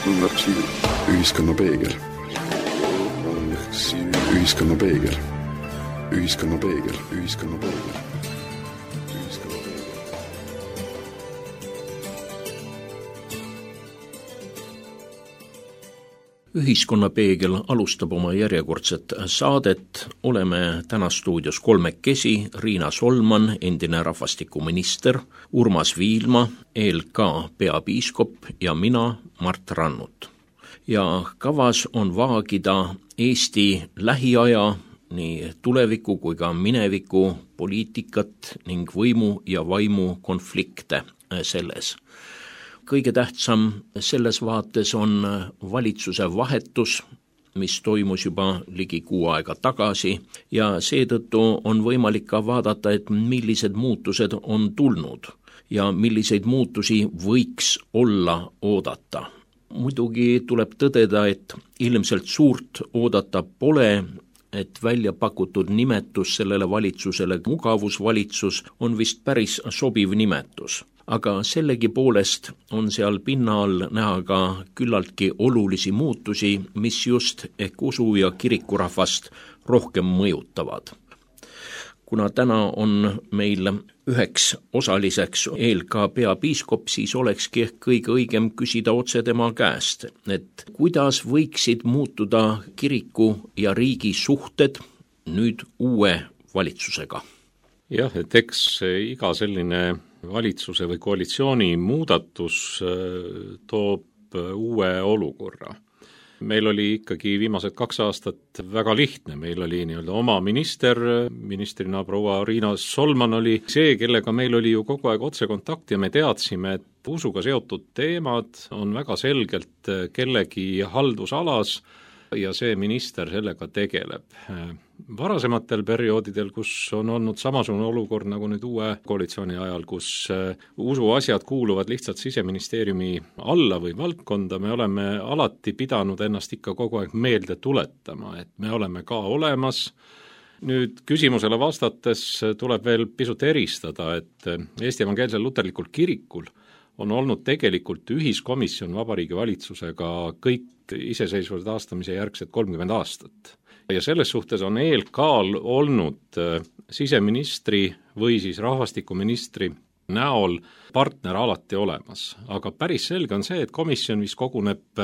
Ühiskonna peegel. Ühiskonna peegel. Ühiskonna peegel. Ühiskonna peegel. Ühiskonnapeegel alustab oma järjekordset saadet. Oleme täna stuudios kolmekesi: Riina Solman, endine rahvastikuminister, Urmas Viilma, ELK peapiiskop ja mina, Mart Rannut. Ja kavas on vaagida Eesti lähiaja, nii tuleviku kui ka mineviku poliitikat ning võimu ja vaimu konflikte selles. Kõige tähtsam selles vaates on valitsuse vahetus, mis toimus juba ligi 6 aega tagasi, ja seetõttu on võimalik ka vaadata, et millised muutused on tulnud ja milliseid muutusi võiks olla oodata. Muidugi tuleb tõdeda, et ilmselt suurt oodata pole, et välja pakutud nimetus sellele valitsusele, mugavusvalitsus, on vist päris sobiv nimetus. Aga sellegi poolest on seal pinna all näha ka küllaltki olulisi muutusi, mis just ehk usu- ja kirikurahvast rohkem mõjutavad. Kuna täna on meil üheks osaliseks ELK peapiiskop, siis olekski ehk kõige õigem küsida otse tema käest, et kuidas võiksid muutuda kiriku ja riigi suhted nüüd uue valitsusega? Jah, et eks iga selline valitsuse või koalitsiooni muudatus toob uue olukorra. Meil oli ikkagi viimased 2 aastat väga lihtne, meil oli nii-öelda oma ministrina proua Riina Solman oli see, kellega meil oli ju kogu aeg otsekontakt ja me teadsime, et usuga seotud teemad on väga selgelt kellegi haldusalas ja see minister sellega tegeleb. Varasematel perioodidel, kus on olnud samasugune olukord nagu nüüd uue koalitsiooni ajal, kus usuasjad kuuluvad lihtsalt Siseministeeriumi alla või valdkonda, me oleme alati pidanud ennast ikka kogu aeg meelde tuletama, et me oleme ka olemas. Nüüd küsimusele vastates tuleb veel pisut eristada, et Eesti Evangeelsel Luterlikul Kirikul on olnud tegelikult ühiskomisjon Vabariigi Valitsusega kõik iseseisvuse taastamise järgset 30 aastat. Ja selles suhtes on ELK-l olnud siseministri või siis rahvastikuministri näol partner alati olemas. Aga päris selge on see, et komisjon, mis koguneb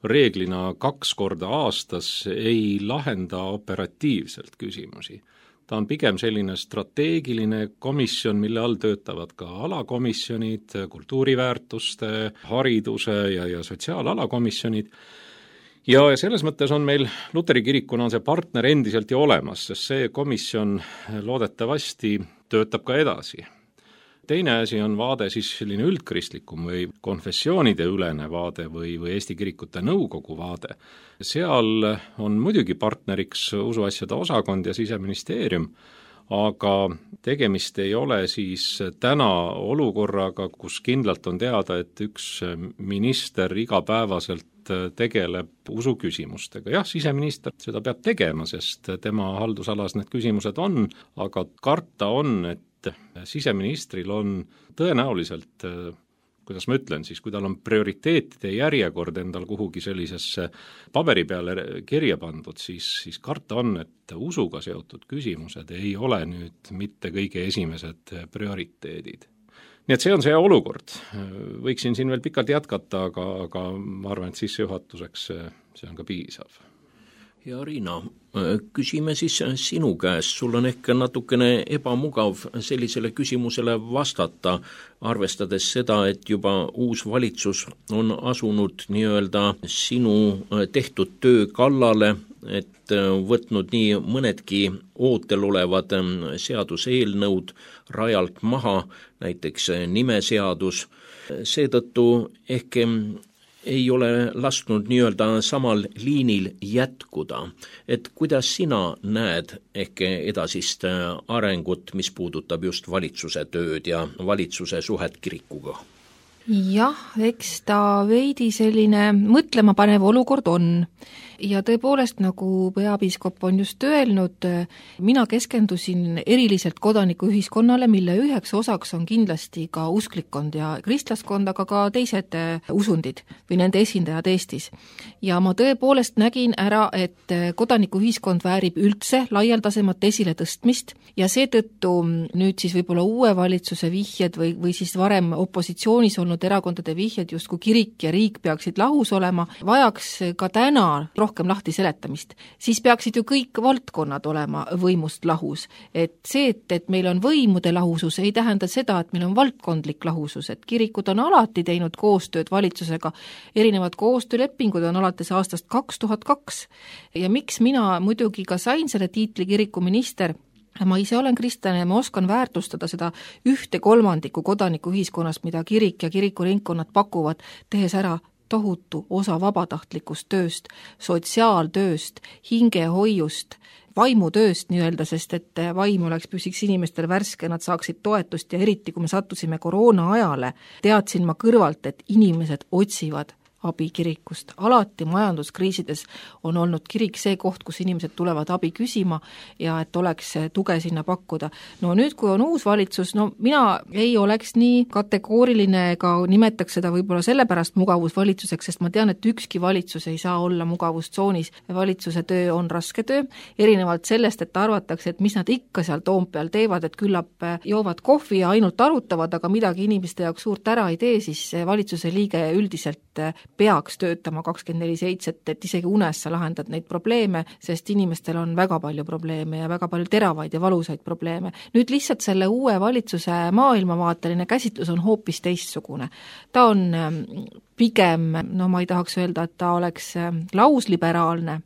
reeglina 2 korda aastas, ei lahenda operatiivselt küsimusi. Ta on pigem selline strateegiline komisjon, mille all töötavad ka alakomisjonid, kultuuriväärtuste, hariduse ja sotsiaalalakomisjonid. Ja selles mõttes on meil Luteri kirikuna on see partner endiselt ju olemas, sest see komisjon loodetavasti töötab ka edasi. Teine asi on vaade siis selline üldkristlikum või konfessioonide ülene vaade või Eesti Kirikute Nõukogu vaade. Seal on muidugi partneriks usuasjade osakond ja Siseministeerium, aga tegemist ei ole siis täna olukorraga, kus kindlalt on teada, et üks minister igapäevaselt tegeleb usuküsimustega. Jah, siseminister seda peab tegema, sest tema haldusalas need küsimused on, aga karta on, et siseministril on tõenäoliselt, kuidas ma ütlen siis, kui tal on prioriteetide järjekord endal kuhugi sellisesse paberi peale kirja pandud, siis karta on, et usuga seotud küsimused ei ole nüüd mitte kõige esimesed prioriteedid. Nii et see on see olukord. Võiksin siin veel pikalt jätkata, aga ma arvan, et sissejuhatuseks see on ka piisav. Ja Riina, küsime siis sinu käest, sul on ehk natukene ebamugav sellisele küsimusele vastata, arvestades seda, et juba uus valitsus on asunud nii-öelda sinu tehtud töö kallale, et võtnud nii mõnedki ootel olevad seaduseelnõud rajalt maha, näiteks nimeseadus. Seetõttu ehk ei ole lasknud nii-öelda samal liinil jätkuda. Et kuidas sina näed ehk edasist arengut, mis puudutab just valitsuse tööd ja valitsuse suhet kirikuga? Jah, eks ta veidi selline mõtlemapanev olukord on. Ja tõepoolest, nagu peapiiskop on just öelnud, mina keskendusin eriliselt kodanikuühiskonnale, mille üheks osaks on kindlasti ka usklikkond ja kristlaskond, aga ka teised usundid või nende esindajad Eestis. Ja ma tõepoolest nägin ära, et kodanikuühiskond väärib üldse laialdasemat esiletõstmist ja seetõttu nüüd siis võib-olla uue valitsuse vihjed või siis varem opositsioonis olnud erakondade vihjed, justkui kirik ja riik peaksid lahus olema, vajaks ka täna rohkem lahti seletamist, siis peaksid ju kõik valdkonnad olema võimust lahus. Et see, et meil on võimude lahusus, ei tähenda seda, et meil on valdkondlik lahusus, et kirikud on alati teinud koostööd valitsusega, erinevad koostöölepingud on alates aastast 2002 ja miks mina muidugi ka sain selle tiitli kirikuminister, ma ise olen kristlane ja ma oskan väärtustada seda 1/3 kodanikuühiskonnast, mida kirik ja kirikuringkonnad pakuvad, tehes ära tohutu osa vabatahtlikust tööst, sotsiaaltööst, hingehoiust, vaimutööst nii-öelda, sest et vaim püsiks inimestel värske, nad saaksid toetust ja eriti, kui me sattusime koroona ajale, teadsin ma kõrvalt, et inimesed otsivad abi kirikust. Alati majanduskriisides on olnud kirik see koht, kus inimesed tulevad abi küsima ja et oleks tuge sinna pakkuda. No nüüd, kui on uus valitsus, no mina ei oleks nii kategooriline ega nimetaks seda võib-olla sellepärast mugavusvalitsuseks, sest ma tean, et ükski valitsus ei saa olla mugavustsoonis. Valitsuse töö on raske töö, erinevalt sellest, et arvatakse, et mis nad ikka seal Toompeal teevad, et küllap joovad kohvi ja ainult arutavad, aga midagi inimeste jaoks suurt ära ei tee, siis valitsuse liige üldiselt peaks töötama 24/7, et isegi unes sa lahendad neid probleeme, sest inimestel on väga palju probleeme ja väga palju teravaid ja valusaid probleeme. Nüüd lihtsalt selle uue valitsuse maailmavaateline käsitlus on hoopis teistsugune. Ta on pigem, no ma ei tahaks öelda, et ta oleks lausliberaalne,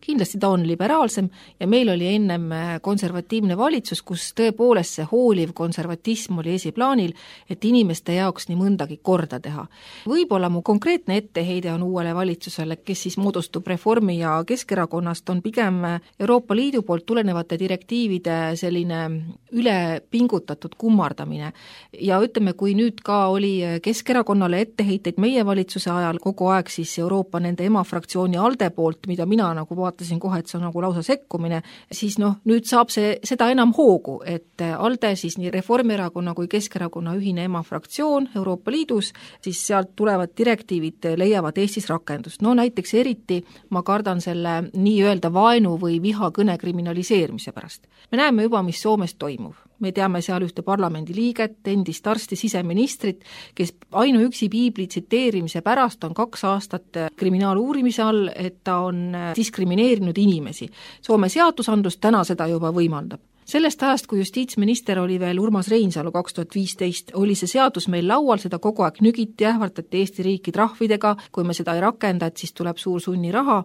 kindlasti ta on liberaalsem ja meil oli ennem konservatiivne valitsus, kus tõepoolest see hooliv konservatism oli esiplaanil, et inimeste jaoks nii mõndagi korda teha. Võib-olla mu konkreetne etteheide on uuele valitsusele, kes siis moodustub Reformi ja Keskerakonnast, on pigem Euroopa Liidu poolt tulenevate direktiivide selline ülepingutatud kummardamine. Ja ütleme, kui nüüd ka oli Keskerakonnale etteheiteid meie valitsuse ajal kogu aeg siis Euroopa nende emafraktsiooni ALDE poolt, mida mina nagu vaatasin kohe, et see on nagu lausa sekkumine, siis nüüd saab seda enam hoogu, et ALDE siis nii Reformierakonna kui Keskerakonna ühine emafraktsioon Euroopa Liidus, siis sealt tulevad direktiivid leiavad Eestis rakendust. No näiteks eriti ma kardan selle nii-öelda vaenu või vihakõne kriminaliseerimise pärast. Me näeme juba, mis Soomes toimub. Me teame seal ühte parlamendi liiget, endist arsti siseministrit, kes ainuüksi piibli tsiteerimise pärast on 2 aastat kriminaaluurimise all, et ta on diskrimineerinud inimesi. Soome seadusandlus täna seda juba võimaldab. Sellest ajast, kui justiitsminister oli veel Urmas Reinsalu 2015, oli see seadus meil laual, seda kogu aeg nügiti, ähvardati Eesti riiki trahvidega, kui me seda ei rakenda, et siis tuleb suur sunniraha.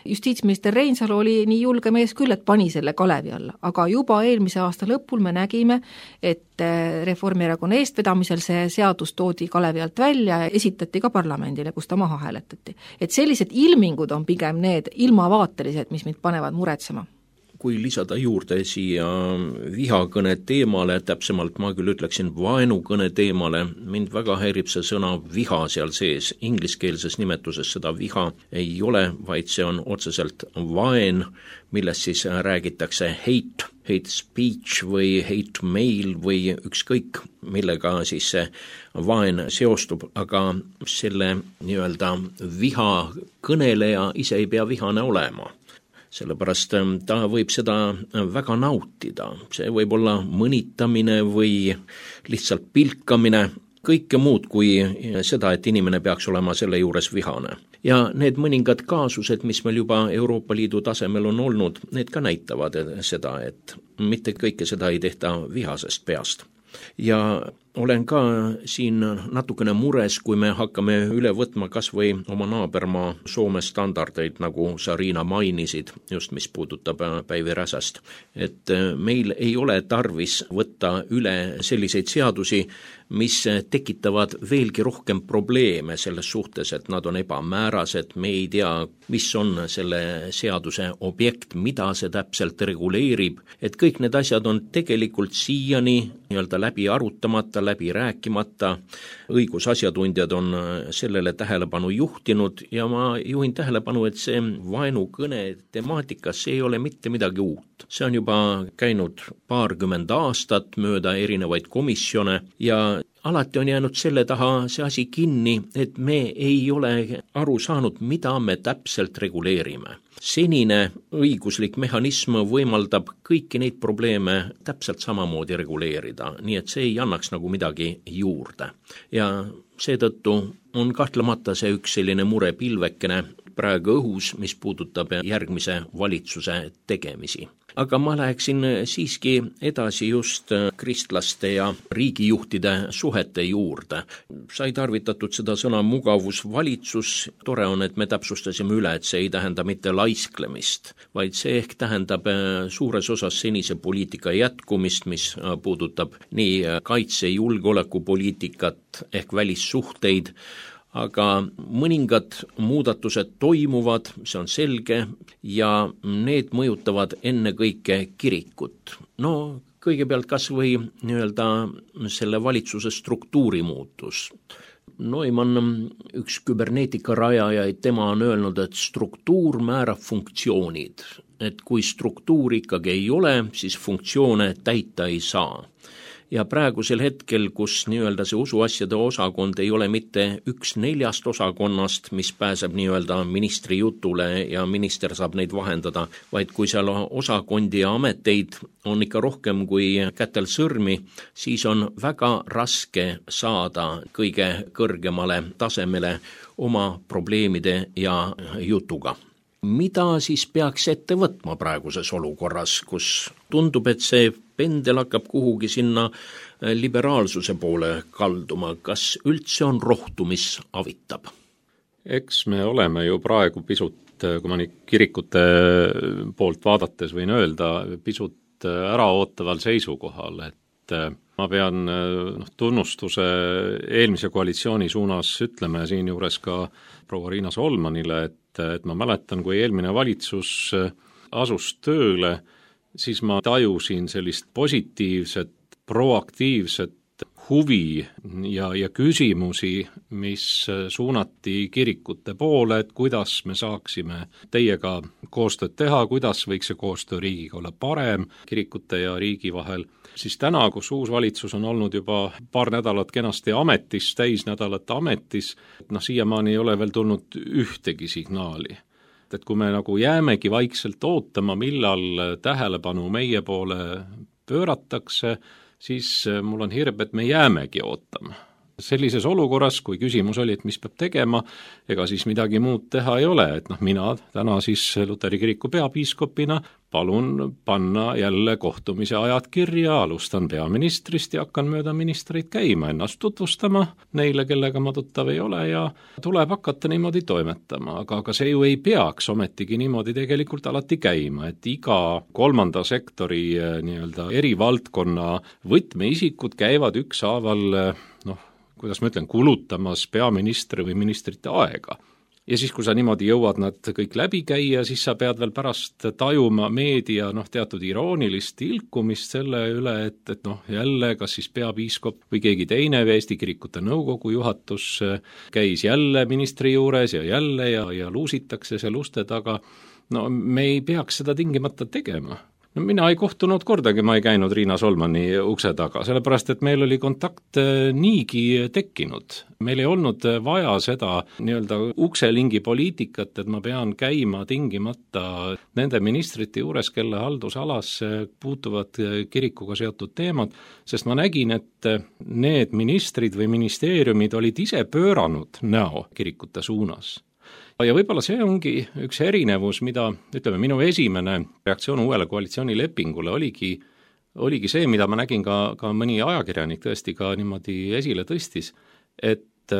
Justiitsminister Reinsalu oli nii julge mees küll, et pani selle kalevi alla, aga juba eelmise aasta lõpul me nägime, et Reformierakonna eestvedamisel see seadus toodi kalevi alt välja ja esitati ka parlamendile, kus ta maha hääletati. Et sellised ilmingud on pigem need ilmavaatelised, mis mind panevad muretsema. Kui lisada juurde siia vihakõne teemale, täpsemalt ma küll ütleksin vaenukõne teemale, mind väga häirib see sõna viha seal sees. Ingliskeelses nimetuses seda viha ei ole, vaid see on otseselt vaen, millest siis räägitakse hate speech või hate mail või ükskõik, millega siis see vaen seostub, aga selle nii-öelda viha kõneleja ise ei pea vihane olema. Sellepärast ta võib seda väga nautida. See võib olla mõnitamine või lihtsalt pilkamine, kõike muud kui seda, et inimene peaks olema selle juures vihane. Ja need mõningad kaasused, mis meil juba Euroopa Liidu tasemel on olnud, need ka näitavad seda, et mitte kõike seda ei tehta vihasest peast. Ja olen ka siin natukene mures, kui me hakkame üle võtma kas või oma naabermaa Soome standardeid, nagu sa, Riina, mainisid, just mis puudutab Päivi Räsäst. Et meil ei ole tarvis võtta üle selliseid seadusi, mis tekitavad veelgi rohkem probleeme selles suhtes, et nad on ebamäärased, me ei tea, mis on selle seaduse objekt, mida see täpselt reguleerib, et kõik need asjad on tegelikult siiani nii-öelda läbi arutamata, läbi rääkimata, õigusasjatundjad on sellele tähelepanu juhtinud ja ma juhin tähelepanu, et see vaenukõne temaatikas ei ole mitte midagi uut. See on juba käinud 20 aastat mööda erinevaid komisjone ja alati on jäänud selle taha see asi kinni, et me ei ole aru saanud, mida me täpselt reguleerime. Senine õiguslik mehhanism võimaldab kõiki neid probleeme täpselt samamoodi reguleerida, nii et see ei annaks nagu midagi juurde. Ja seetõttu on kahtlemata see üks selline murepilvekene praegu õhus, mis puudutab järgmise valitsuse tegemisi. Aga ma läheksin siiski edasi just kristlaste ja riigijuhtide suhete juurde. Sai tarvitatud seda sõna mugavusvalitsus. Tore on, et me täpsustasime üle, et see ei tähenda mitte laisklemist, vaid see ehk tähendab suures osas senise poliitika jätkumist, mis puudutab nii kaitse- ja julgeolekupoliitikat ehk välissuhteid, aga mõningad muudatused toimuvad, see on selge, ja need mõjutavad ennekõike kirikut. No kõigepealt kas või nii-öelda selle valitsuse struktuuri muutus. Neumann, üks küberneetika rajajaid, tema on öelnud, et struktuur määrab funktsioonid. Et kui struktuur ikkagi ei ole, siis funktsioone täita ei saa. Ja praegusel hetkel, kus nii-öelda see usuasjade osakond ei ole mitte 1/4 osakonnast, mis pääseb nii-öelda ministri jutule ja minister saab neid vahendada, vaid kui seal osakondi ja ameteid on ikka rohkem kui kätel sõrmi, siis on väga raske saada kõige kõrgemale tasemele oma probleemide ja jutuga. Mida siis peaks ette võtma praeguses olukorras, kus tundub, et see pendel hakkab kuhugi sinna liberaalsuse poole kalduma? Kas üldse on rohtu, mis avitab? Eks me oleme ju praegu pisut, kui ma nüüd kirikute poolt vaadates võin öelda, pisut äraootaval seisukohal, et ma pean tunnustuse eelmise koalitsiooni suunas ütleme siinjuures ka proua Riina Solmanile, et ma mäletan, kui eelmine valitsus asus tööle, siis ma tajusin sellist positiivset, proaktiivset huvi ja küsimusi, mis suunati kirikute poole, et kuidas me saaksime teiega koostööd teha, kuidas võiks see koostöö riigiga olla parem kirikute ja riigi vahel. Siis täna, kus uus valitsus on olnud juba paar nädalat kenasti ametis, täisnädalat ametis, siiamaani ei ole veel tulnud ühtegi signaali. Et kui me nagu jäämegi vaikselt ootama, millal tähelepanu meie poole pööratakse, siis mul on hirm, et me jäämegi ootama. Sellises olukorras, kui küsimus oli, et mis peab tegema, ega siis midagi muud teha ei ole, et mina täna siis Luteri kiriku peapiiskopina palun panna jälle kohtumise ajad kirja, alustan peaministrist ja hakkan mööda ministreid käima, ennast tutvustama neile, kellega ma tuttav ei ole ja tuleb hakata niimoodi toimetama, aga see ju ei peaks ometigi niimoodi tegelikult alati käima, et iga kolmanda sektori nii-öelda eri valdkonna võtmeisikud käivad ükshaaval kuidas ma ütlen, kulutamas peaministri või ministrite aega. Ja siis, kui sa niimoodi jõuad nad kõik läbi käia, siis sa pead veel pärast tajuma meedia teatud iroonilist ilkumist selle üle, et jälle, kas siis peapiiskop või keegi teine Eesti Kirikute Nõukogu juhatus käis jälle ministri juures ja jälle ja luusitakse seal uste taga. Me ei peaks seda tingimata tegema. Mina ei kohtunud kordagi, ma ei käinud Riina Solmani ukse taga, sellepärast, et meil oli kontakt niigi tekkinud. Meil ei olnud vaja seda nii-öelda ukselingi poliitikat, et ma pean käima tingimata nende ministrite juures, kelle haldusalas puutuvad kirikuga seotud teemad, sest ma nägin, et need ministrid või ministeeriumid olid ise pööranud näo kirikute suunas. Ja võib-olla see ongi üks erinevus, mida, minu esimene reaktsioon uuele koalitsioonilepingule oligi see, mida ma nägin ka mõni ajakirjanik tõesti ka niimoodi esile tõstis, et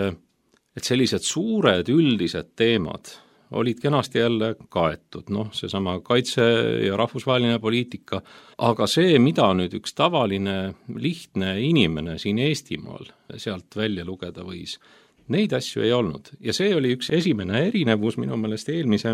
sellised suured üldised teemad olid kenasti jälle kaetud, seesama kaitse ja rahvusvaheline poliitika, aga see, mida nüüd üks tavaline lihtne inimene siin Eestimaal sealt välja lugeda võis, neid asju ei olnud ja see oli üks esimene erinevus minu meelest eelmise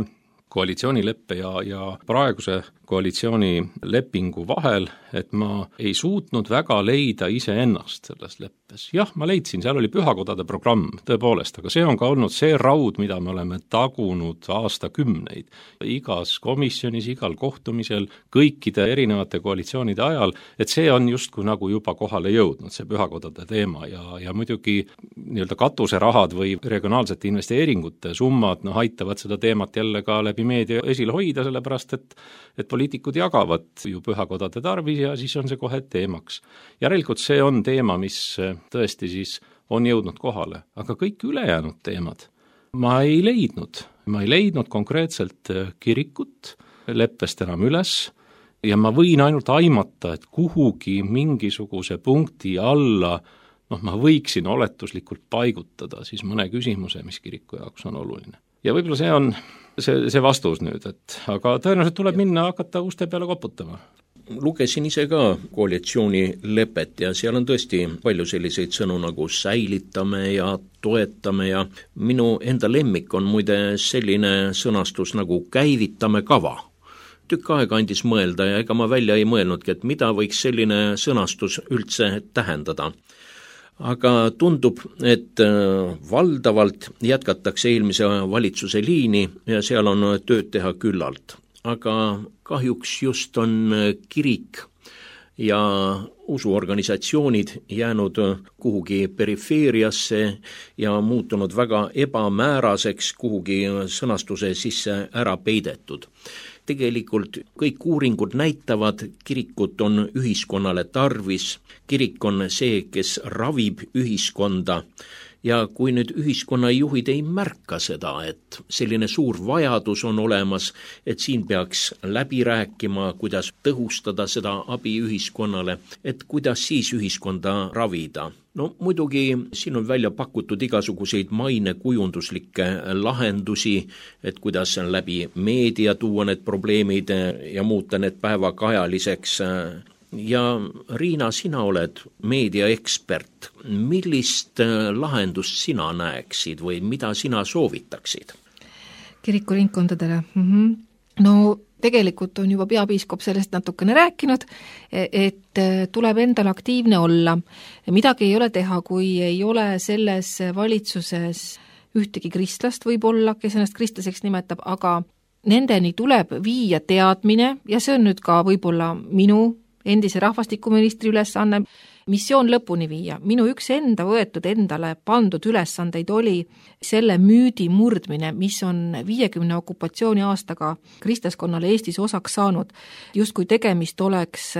koalitsioonileppe ja praeguse koalitsioonilepingu vahel, et ma ei suutnud väga leida iseennast selles leppes. Jah, ma leidsin, seal oli pühakodade programm, tõepoolest, aga see on ka olnud see raud, mida me oleme tagunud aastakümneid. Igas komisjonis, igal kohtumisel, kõikide erinevate koalitsioonide ajal, et see on justkui nagu juba kohale jõudnud, see pühakodade teema ja muidugi nii-öelda katuserahad või regionaalsete investeeringute summad aitavad seda teemat jälle ka läbi meedia esile hoida, sellepärast et poliitikud jagavad ju pühakodade tarvis ja siis on see kohe teemaks. Järelikult see on teema, mis tõesti siis on jõudnud kohale, aga kõik ülejäänud teemad ma ei leidnud konkreetselt kirikut leppest enam üles ja ma võin ainult aimata, et kuhugi mingisuguse punkti alla ma võiksin oletuslikult paigutada siis mõne küsimuse, mis kiriku jaoks on oluline. Ja võib-olla see on see vastus nüüd, aga tõenäoliselt tuleb minna hakata uste peale koputama. Lugesin ise ka koalitsioonilepet ja seal on tõesti palju selliseid sõnu nagu säilitame ja toetame ja minu enda lemmik on muide selline sõnastus nagu käivitame kava. Tükk aega andis mõelda ja ega ma välja ei mõelnudki, et mida võiks selline sõnastus üldse tähendada. Aga tundub, et valdavalt jätkatakse eelmise valitsuse liini ja seal on tööd teha küllalt. Aga kahjuks just on kirik ja usuorganisatsioonid jäänud kuhugi perifeeriasse ja muutunud väga ebamääraseks, kuhugi sõnastuse sisse ära peidetud. Tegelikult kõik uuringud näitavad, kirikut on ühiskonnale tarvis, kirik on see, kes ravib ühiskonda ja kui nüüd ühiskonnajuhid ei märka seda, et selline suur vajadus on olemas, et siin peaks läbi rääkima, kuidas tõhustada seda abi ühiskonnale, et kuidas siis ühiskonda ravida. No muidugi siin on välja pakutud igasuguseid mainekujunduslikke lahendusi, et kuidas läbi meedia tuua need probleemid ja muuta need päevakajaliseks. Ja Riina, sina oled meediaekspert. Millist lahendust sina näeksid või mida sina soovitaksid? Kirikuringkondadele? No tegelikult on juba peapiiskop sellest natukene rääkinud, et tuleb endal aktiivne olla. Midagi ei ole teha, kui ei ole selles valitsuses ühtegi kristlast võib-olla, kes ennast kristlaseks nimetab, aga nendeni tuleb viia teadmine ja see on nüüd ka võib-olla minu endise rahvastikuministri ülesanne, missioon lõpuni viia. Minu üks enda võetud endale pandud ülesandeid oli selle müüdi murdmine, mis on 50 okupatsiooni aastaga kristlaskonnale Eestis osaks saanud, justkui tegemist oleks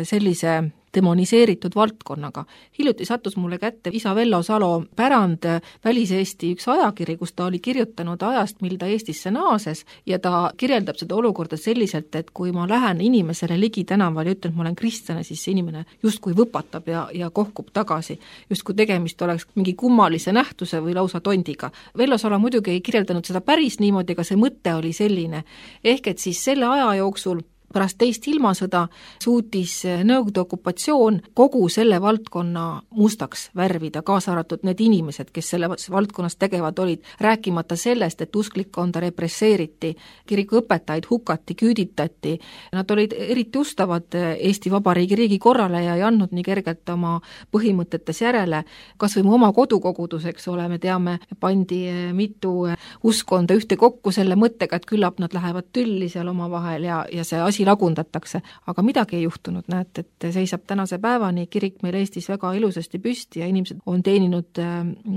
sellise demoniseeritud valdkonnaga. Hiljuti sattus mulle kätte isa Vello Salo pärand Välis-Eesti üks ajakiri, kus ta oli kirjutanud ajast, mil ta Eestisse naases ja ta kirjeldab seda olukorda selliselt, et kui ma lähen inimesele ligi tänaval ja ütlen, et ma olen kristlane, siis see inimene justkui võpatab ja kohkub tagasi. Justkui tegemist oleks mingi kummalise nähtuse või lausa tondiga. Vello Salo muidugi ei kirjeldanud seda päris niimoodi, aga see mõte oli selline. Ehk et siis selle aja jooksul pärast teist ilmasõda suutis Nõukogude okupatsioon kogu selle valdkonna mustaks värvida, kaasa arvatud need inimesed, kes selle valdkonnas tegevad olid, rääkimata sellest, et usklikkonda represseeriti, kirikuõpetajaid hukati, küüditati. Nad olid eriti ustavad Eesti Vabariigi riigikorrale ja ei andnud nii kergelt oma põhimõtetes järele. Kas või mu oma kodukoguduseks ole, me teame, pandi mitu uskonda ühte kokku selle mõttega, et küllap nad lähevad tülli seal omavahel ja see asi lagundatakse, aga midagi ei juhtunud, näed, et seisab tänase päevani kirik meil Eestis väga ilusasti püsti ja inimesed on teeninud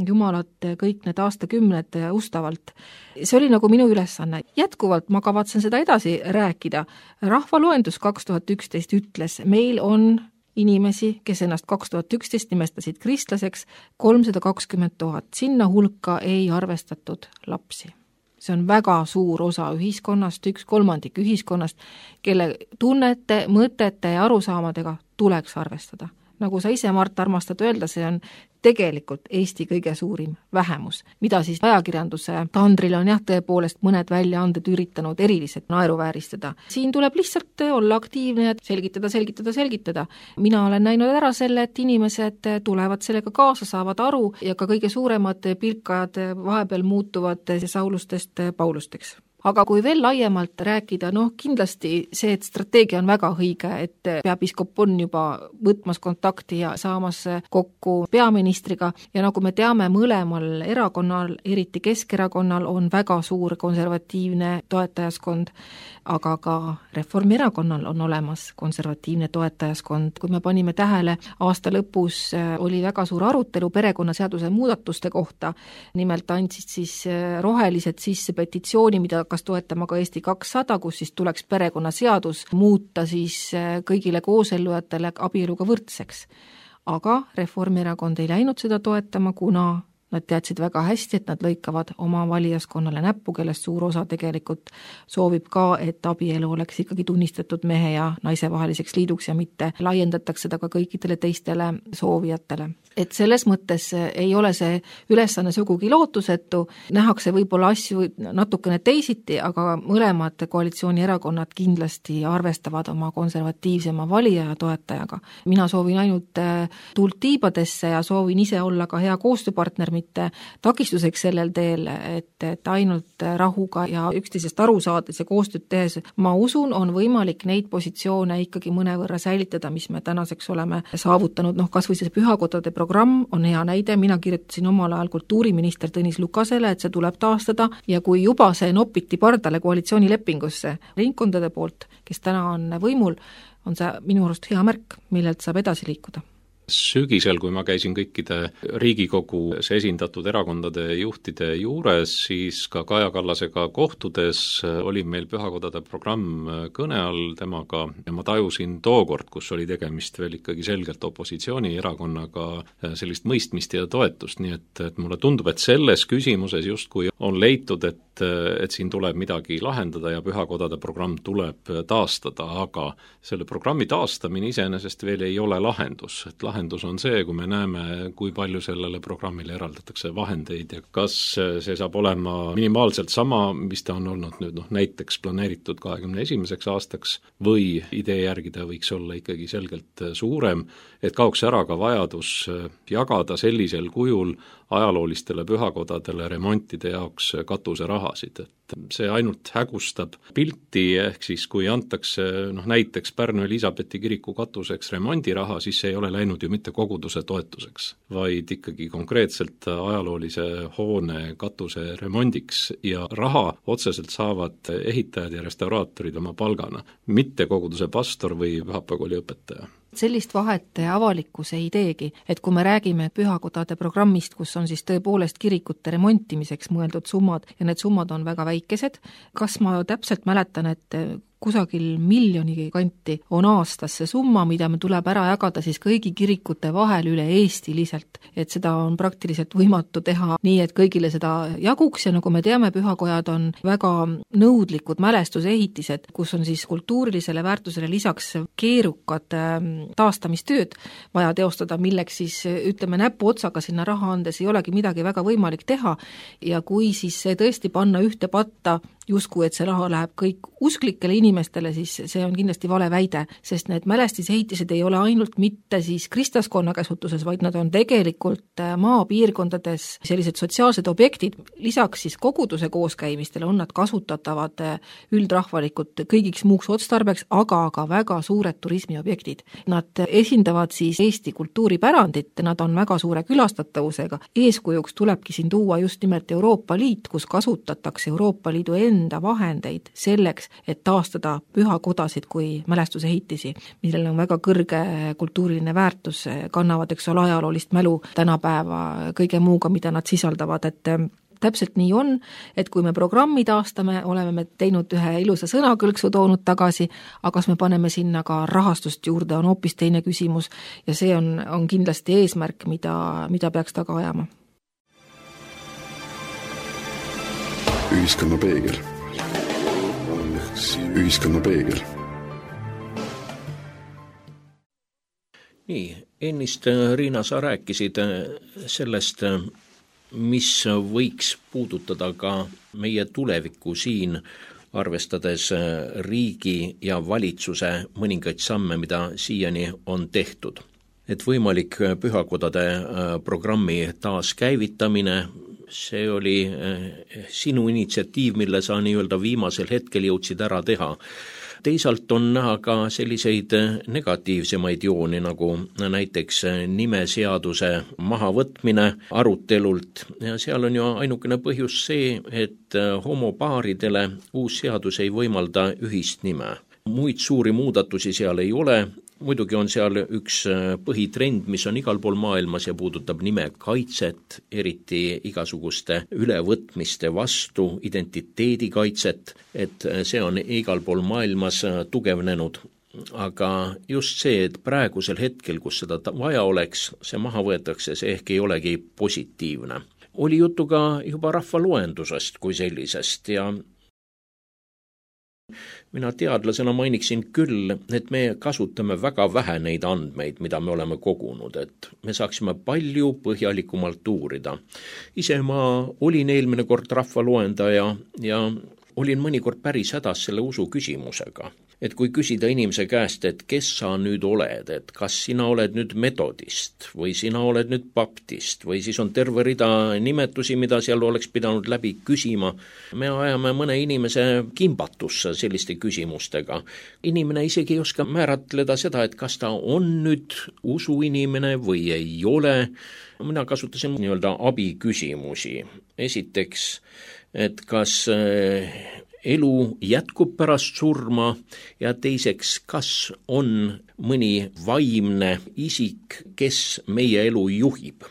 Jumalat kõik need aastakümned ustavalt. See oli nagu minu ülesanne. Jätkuvalt ma kavatsen seda edasi rääkida. Rahvaloendus 2011 ütles, meil on inimesi, kes ennast 2011 nimestasid kristlaseks 320 000. Sinna hulka ei arvestatud lapsi. See on väga suur osa ühiskonnast, 1/3 ühiskonnast, kelle tunnete, mõtete ja arusaamadega tuleks arvestada. Nagu sa ise, Mart, armastad öelda, see on tegelikult Eesti kõige suurim vähemus, mida siis ajakirjanduse tandril on tõepoolest mõned väljaanded üritanud eriliselt naeruvääristada. Siin tuleb lihtsalt olla aktiivne ja selgitada. Mina olen näinud ära selle, et inimesed tulevad sellega kaasa, saavad aru ja ka kõige suuremad pilkajad vahepeal muutuvad Saulustest Paulusteks. Aga kui veel laiemalt rääkida, kindlasti see, et strateegia on väga õige, et peapiiskop on juba võtmas kontakti ja saamas kokku peaministriga ja nagu me teame, mõlemal erakonnal, eriti Keskerakonnal, on väga suur konservatiivne toetajaskond, aga ka Reformierakonnal on olemas konservatiivne toetajaskond. Kui me panime tähele, aasta lõpus oli väga suur arutelu perekonnaseaduse muudatuste kohta, nimelt andsid siis rohelised sisse petitsiooni, mida hakkas toetama ka Eesti 200, kus siis tuleks perekonnaseadus muuta siis kõigile koosellujatele abieluga võrdseks. Aga Reformierakond ei läinud seda toetama, kuna nad teadsid väga hästi, et nad lõikavad oma valijaskonnale näppu, kellest suur osa tegelikult soovib ka, et abielu oleks ikkagi tunnistatud mehe ja naise vaheliseks liiduks ja mitte laiendatakse seda ka kõikidele teistele soovijatele. Et selles mõttes ei ole see ülesanne sugugi lootusetu, nähakse võib-olla asju natukene teisiti, aga mõlemad koalitsioonierakonnad kindlasti arvestavad oma konservatiivsema valija ja toetajaga. Mina soovin ainult tuult tiibadesse ja soovin ise olla ka hea koostööpartner, mitte takistuseks sellel teel, et ainult rahuga ja üksteisest aru saades ja koostööd tehes, ma usun, on võimalik neid positsioone ikkagi mõnevõrra säilitada, mis me tänaseks oleme saavutanud. Kas või see pühakodade programm on hea näide, mina kirjutasin omal ajal kultuuriminister Tõnis Lukasele, et see tuleb taastada ja kui juba see nopiti pardale koalitsioonilepingusse ringkondade poolt, kes täna on võimul, on see minu arust hea märk, millelt saab edasi liikuda. Sügisel, kui ma käisin kõikide Riigikogus esindatud erakondade juhtide juures, siis ka Kaja Kallasega kohtudes oli meil pühakodade programm kõne all temaga ja ma tajusin tookord, kus oli tegemist veel ikkagi selgelt opositsioonierakonnaga, sellist mõistmist ja toetust, nii et mulle tundub, et selles küsimuses justkui on leitud, et siin tuleb midagi lahendada ja pühakodade programm tuleb taastada, aga selle programmi taastamine iseenesest veel ei ole lahendus, et lahendus on see, kui me näeme, kui palju sellele programmile eraldatakse vahendeid ja kas see saab olema minimaalselt sama, mis ta on olnud nüüd näiteks planeeritud 21. aastaks või idee järgi ta võiks olla ikkagi selgelt suurem, et kaoks ära ka vajadus jagada sellisel kujul ajaloolistele pühakodadele remontide jaoks katuserahasid, et see ainult hägustab pilti, ehk siis kui antakse näiteks Pärnu Elisabethi kiriku katuseks remondiraha, siis see ei ole läinud ju mitte koguduse toetuseks, vaid ikkagi konkreetselt ajaloolise hoone katuse remondiks ja raha otseselt saavad ehitajad ja restauraatorid oma palgana, mitte koguduse pastor või pühapäevakooli õpetaja. Sellist vahet avalikkus ei teegi, et kui me räägime pühakodade programmist, kus on siis tõepoolest kirikute remontimiseks mõeldud summad ja need summad on väga väikesed, kas ma täpselt mäletan, et kusagil 1 miljoni kanti on aastas see summa, mida me tuleb ära jagada siis kõigi kirikute vahel üle eestiliselt, et seda on praktiliselt võimatu teha nii, et kõigile seda jaguks ja nagu me teame, pühakojad on väga nõudlikud mälestusehitised, kus on siis kultuurilisele väärtusele lisaks keerukad taastamistööd vaja teostada, milleks siis ütleme näpu otsaga sinna raha andes ei olegi midagi väga võimalik teha ja kui siis see tõesti panna ühte patta justkui, et see raha läheb kõik usklikele inimestele, siis see on kindlasti vale väide, sest need mälestusehitised ei ole ainult mitte siis kristlaskonna käsutuses, vaid nad on tegelikult maapiirkondades sellised sotsiaalsed objektid, lisaks siis koguduse kooskäimistele on nad kasutatavad üldrahvalikult kõigiks muuks otstarbeks, aga ka väga suured turismiobjektid. Nad esindavad siis Eesti kultuuripärandit, nad on väga suure külastatavusega. Eeskujuks tulebki siin tuua just nimelt Euroopa Liit, kus kasutatakse Euroopa Liidu enda vahendeid selleks, et taastada pühakodasid kui mälestusehitisi, millel on väga kõrge kultuuriline väärtus, kannavad ajaloolist mälu tänapäeva kõige muuga, mida nad sisaldavad, et täpselt nii on, et kui me programmi taastame, oleme me teinud ühe ilusa sõnakõlksu toonud tagasi, aga kas me paneme sinna ka rahastust juurde, on hoopis teine küsimus ja see on kindlasti eesmärk, mida peaks taga ajama. Ühiskonna peegel. Ühiskonna peegel. Nii, ennist Riina, sa rääkisid sellest, mis võiks puudutada ka meie tulevikku siin, arvestades riigi ja valitsuse mõningaid samme, mida siiani on tehtud. Et võimalik pühakodade programmi taaskäivitamine, see oli sinu initsiatiiv, mille sa nii-öelda viimasel hetkel jõudsid ära teha. Teisalt on näha ka selliseid negatiivsemaid jooni, nagu näiteks nimeseaduse mahavõtmine arutelult ja seal on ju ainukene põhjus see, et homopaaridele uus seadus ei võimalda ühist nime. Muid suuri muudatusi seal ei ole, muidugi on seal üks põhitrend, mis on igal pool maailmas ja puudutab nimekaitset, eriti igasuguste ülevõtmiste vastu, identiteedikaitset, et see on igal pool maailmas tugevnenud. Aga just see, et praegusel hetkel, kus seda vaja oleks, see maha võetakse, see ehk ei olegi positiivne. Oli juttu ka juba rahvaloendusest kui sellisest ja mina teadlasena mainiksin küll, et me kasutame väga vähe neid andmeid, mida me oleme kogunud, et me saaksime palju põhjalikumalt uurida. Ise ma olin eelmine kord rahvaloendaja ja olin mõnikord päris hädas selle usu küsimusega. Et kui küsida inimese käest, et kes sa nüüd oled, et kas sina oled nüüd metodist või sina oled nüüd baptist või siis on terve rida nimetusi, mida seal oleks pidanud läbi küsima, me ajame mõne inimese kimbatusse selliste küsimustega. Inimene isegi ei oska määratleda seda, et kas ta on nüüd usuinimene või ei ole. Mina kasutasin nii-öelda abiküsimusi. Esiteks, et kas elu jätkub pärast surma ja teiseks, kas on mõni vaimne isik, kes meie elu juhib.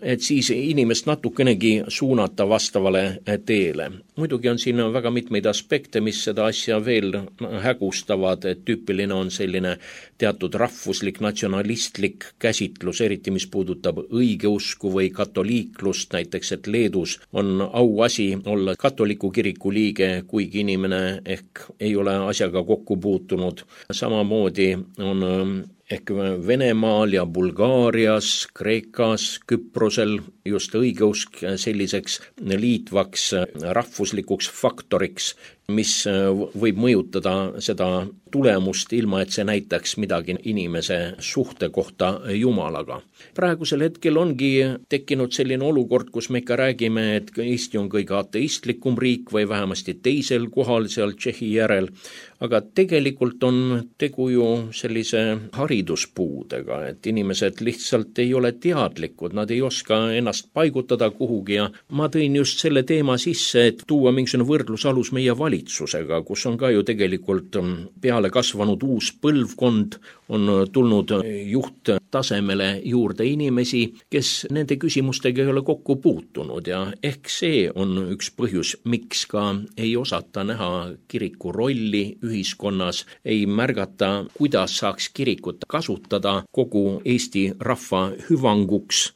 Et siis inimest natukenegi suunata vastavale teele. Muidugi on siin väga mitmeid aspekte, mis seda asja veel hägustavad, et tüüpiline on selline teatud rahvuslik, natsionalistlik käsitlus, eriti mis puudutab õigeusku või katoliiklust, näiteks et Leedus on auasi olla katoliku kiriku liige, kuigi inimene ehk ei ole asjaga kokku puutunud. Samamoodi on ehk Venemaal ja Bulgaarias, Kreekas, Küprosel just õigeusk selliseks liitvaks rahvuslikuks faktoriks, mis võib mõjutada seda tulemust ilma, et see näitaks midagi inimese suhte kohta Jumalaga. Praegusel hetkel ongi tekkinud selline olukord, kus me ikka räägime, et Eesti on kõige ateistlikum riik või vähemasti teisel kohal seal Tšehhi järel, aga tegelikult on tegu ju sellise hariduspuudega, et inimesed lihtsalt ei ole teadlikud, nad ei oska ennast paigutada kuhugi ja ma tõin just selle teema sisse, et tuua mingisugune võrdlusalus meie valitsusega, kus on ka ju tegelikult peale kasvanud uus põlvkond, on tulnud juhttasemele juurde inimesi, kes nende küsimustega ei ole kokku puutunud ja ehk see on üks põhjus, miks ka ei osata näha kiriku rolli ühiskonnas, ei märgata, kuidas saaks kirikut kasutada kogu Eesti rahva hüvanguks.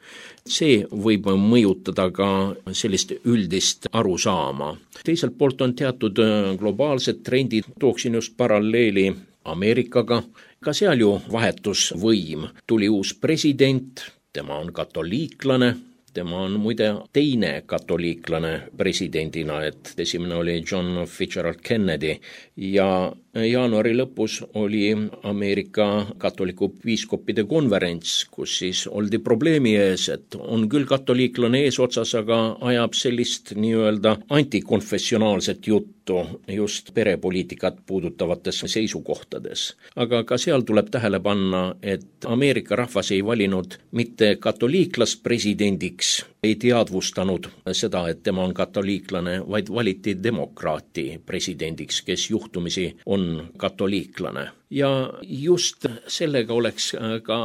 See võib mõjutada ka sellist üldist arusaama. Teiselt poolt on teatud globaalsed trendid, tooksin just paralleeli Ameerikaga, ka seal ju vahetusvõim. Tuli uus president, tema on katoliiklane, tema on muide teine katoliiklane presidendina, et esimene oli John Fitzgerald Kennedy ja jaanuari lõpus oli Ameerika katoliku piiskopide konverents, kus siis oldi probleemi ees, et on küll katoliiklane eesotsas, aga ajab sellist nii-öelda antikonfessionaalset juttu just perepoliitikat puudutavates seisukohtades. Aga ka seal tuleb tähele panna, et Ameerika rahvas ei valinud mitte katoliiklast presidendiks, ei teadvustanud seda, et tema on katoliiklane, vaid valiti demokraati presidendiks, kes juhtumisi on katoliiklane. Ja just sellega oleks ka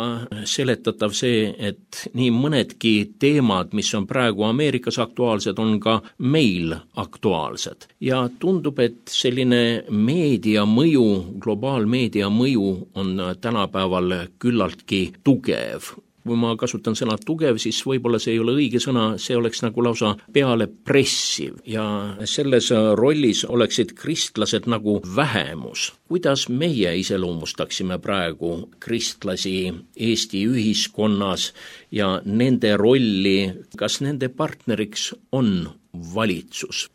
seletatav see, et nii mõnedki teemad, mis on praegu Ameerikas aktuaalsed, on ka meil aktuaalsed. Ja tundub, et selline meedia mõju, globaalmeedia mõju on tänapäeval küllaltki tugev. Kui ma kasutan sõna tugev, siis võib-olla see ei ole õige sõna, see oleks nagu lausa peale pressiv ja selles rollis oleksid kristlased nagu vähemus. Kuidas meie iseloomustaksime praegu kristlasi Eesti ühiskonnas ja nende rolli, kas nende partneriks on valitsus?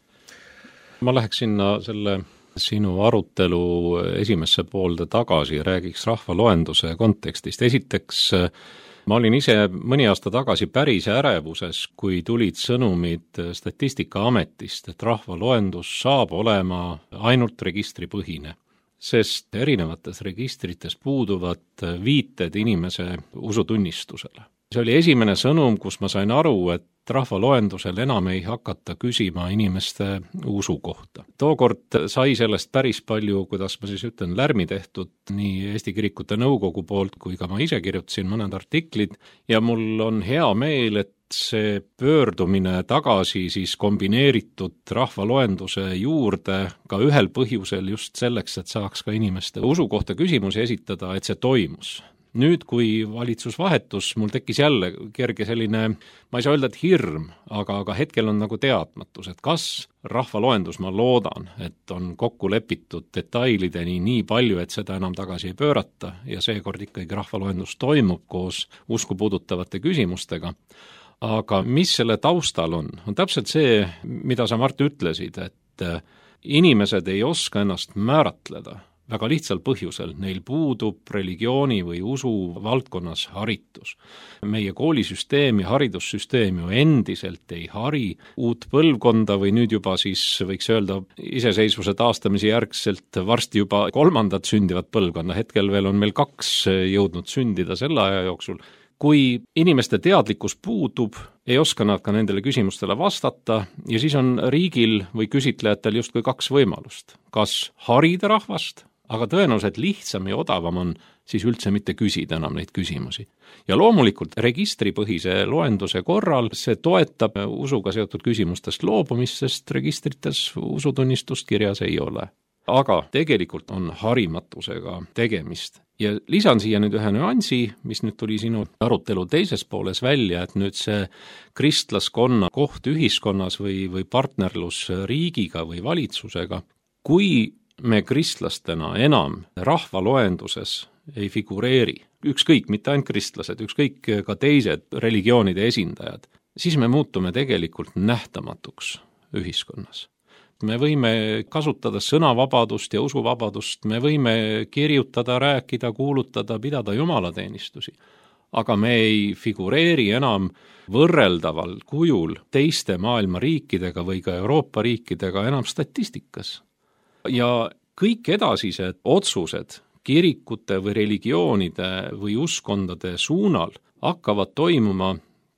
Ma läheks sinna selle sinu arutelu esimesse poolde tagasi ja räägiks rahvaloenduse kontekstist. Esiteks ma olin ise mõni aasta tagasi päris ärevuses, kui tulid sõnumid Statistikaametist, et rahvaloendus saab olema ainult registripõhine, sest erinevates registrites puuduvad viited inimese usutunnistusele. See oli esimene sõnum, kus ma sain aru, et rahvaloendusel enam ei hakata küsima inimeste usu kohta. Tookord sai sellest päris palju, kuidas ma siis ütlen, lärmi tehtud nii Eesti Kirikute Nõukogu poolt, kui ka ma ise kirjutasin mõned artiklid ja mul on hea meel, et see pöördumine tagasi siis kombineeritud rahvaloenduse juurde ka ühel põhjusel just selleks, et saaks ka inimeste usu kohta küsimusi esitada, et see toimus. Nüüd, kui valitsus vahetus, mul tekkis jälle kerge selline, ma ei saa öelda, et hirm, aga hetkel on nagu teadmatus, et kas rahvaloendus, ma loodan, et on kokku lepitud detailideni nii palju, et seda enam tagasi ei pöörata ja seekord ikkagi rahvaloendus toimub koos usku puudutavate küsimustega. Aga mis selle taustal on täpselt see, mida sa, Mart, ütlesid, et inimesed ei oska ennast määratleda. Väga lihtsal põhjusel, neil puudub religiooni või usu valdkonnas haritus. Meie koolisüsteem ja haridussüsteem ju endiselt ei hari uut põlvkonda või nüüd juba siis võiks öelda iseseisvuse taastamise järgselt varsti juba 3. sündivat põlvkonna, hetkel veel on meil 2 jõudnud sündida selle aja jooksul. Kui inimeste teadlikkus puudub, ei oska nad ka nendele küsimustele vastata ja siis on riigil või küsitlejatel justkui 2 võimalust. Kas harida rahvast, aga tõenäoliselt lihtsam ja odavam on siis üldse mitte küsida enam neid küsimusi. Ja loomulikult registripõhise loenduse korral see toetab usuga seotud küsimustest loobumist, sest registrites usutunnistust kirjas ei ole. Aga tegelikult on harimatusega tegemist. Ja lisan siia nüüd ühe nüansi, mis nüüd tuli sinu arutelu teises pooles välja, et nüüd see kristlaskonna koht ühiskonnas või partnerlus riigiga või valitsusega, kui me kristlastena enam rahvaloenduses ei figureeri, ükskõik, mitte ainult kristlased, ükskõik ka teised religioonide esindajad, siis me muutume tegelikult nähtamatuks ühiskonnas. Me võime kasutada sõnavabadust ja usuvabadust, me võime kirjutada, rääkida, kuulutada, pidada jumalateenistusi, aga me ei figureeri enam võrreldaval kujul teiste maailma riikidega või ka Euroopa riikidega enam statistikas. Ja kõik edasised otsused kirikute või religioonide või uskondade suunal hakkavad toimuma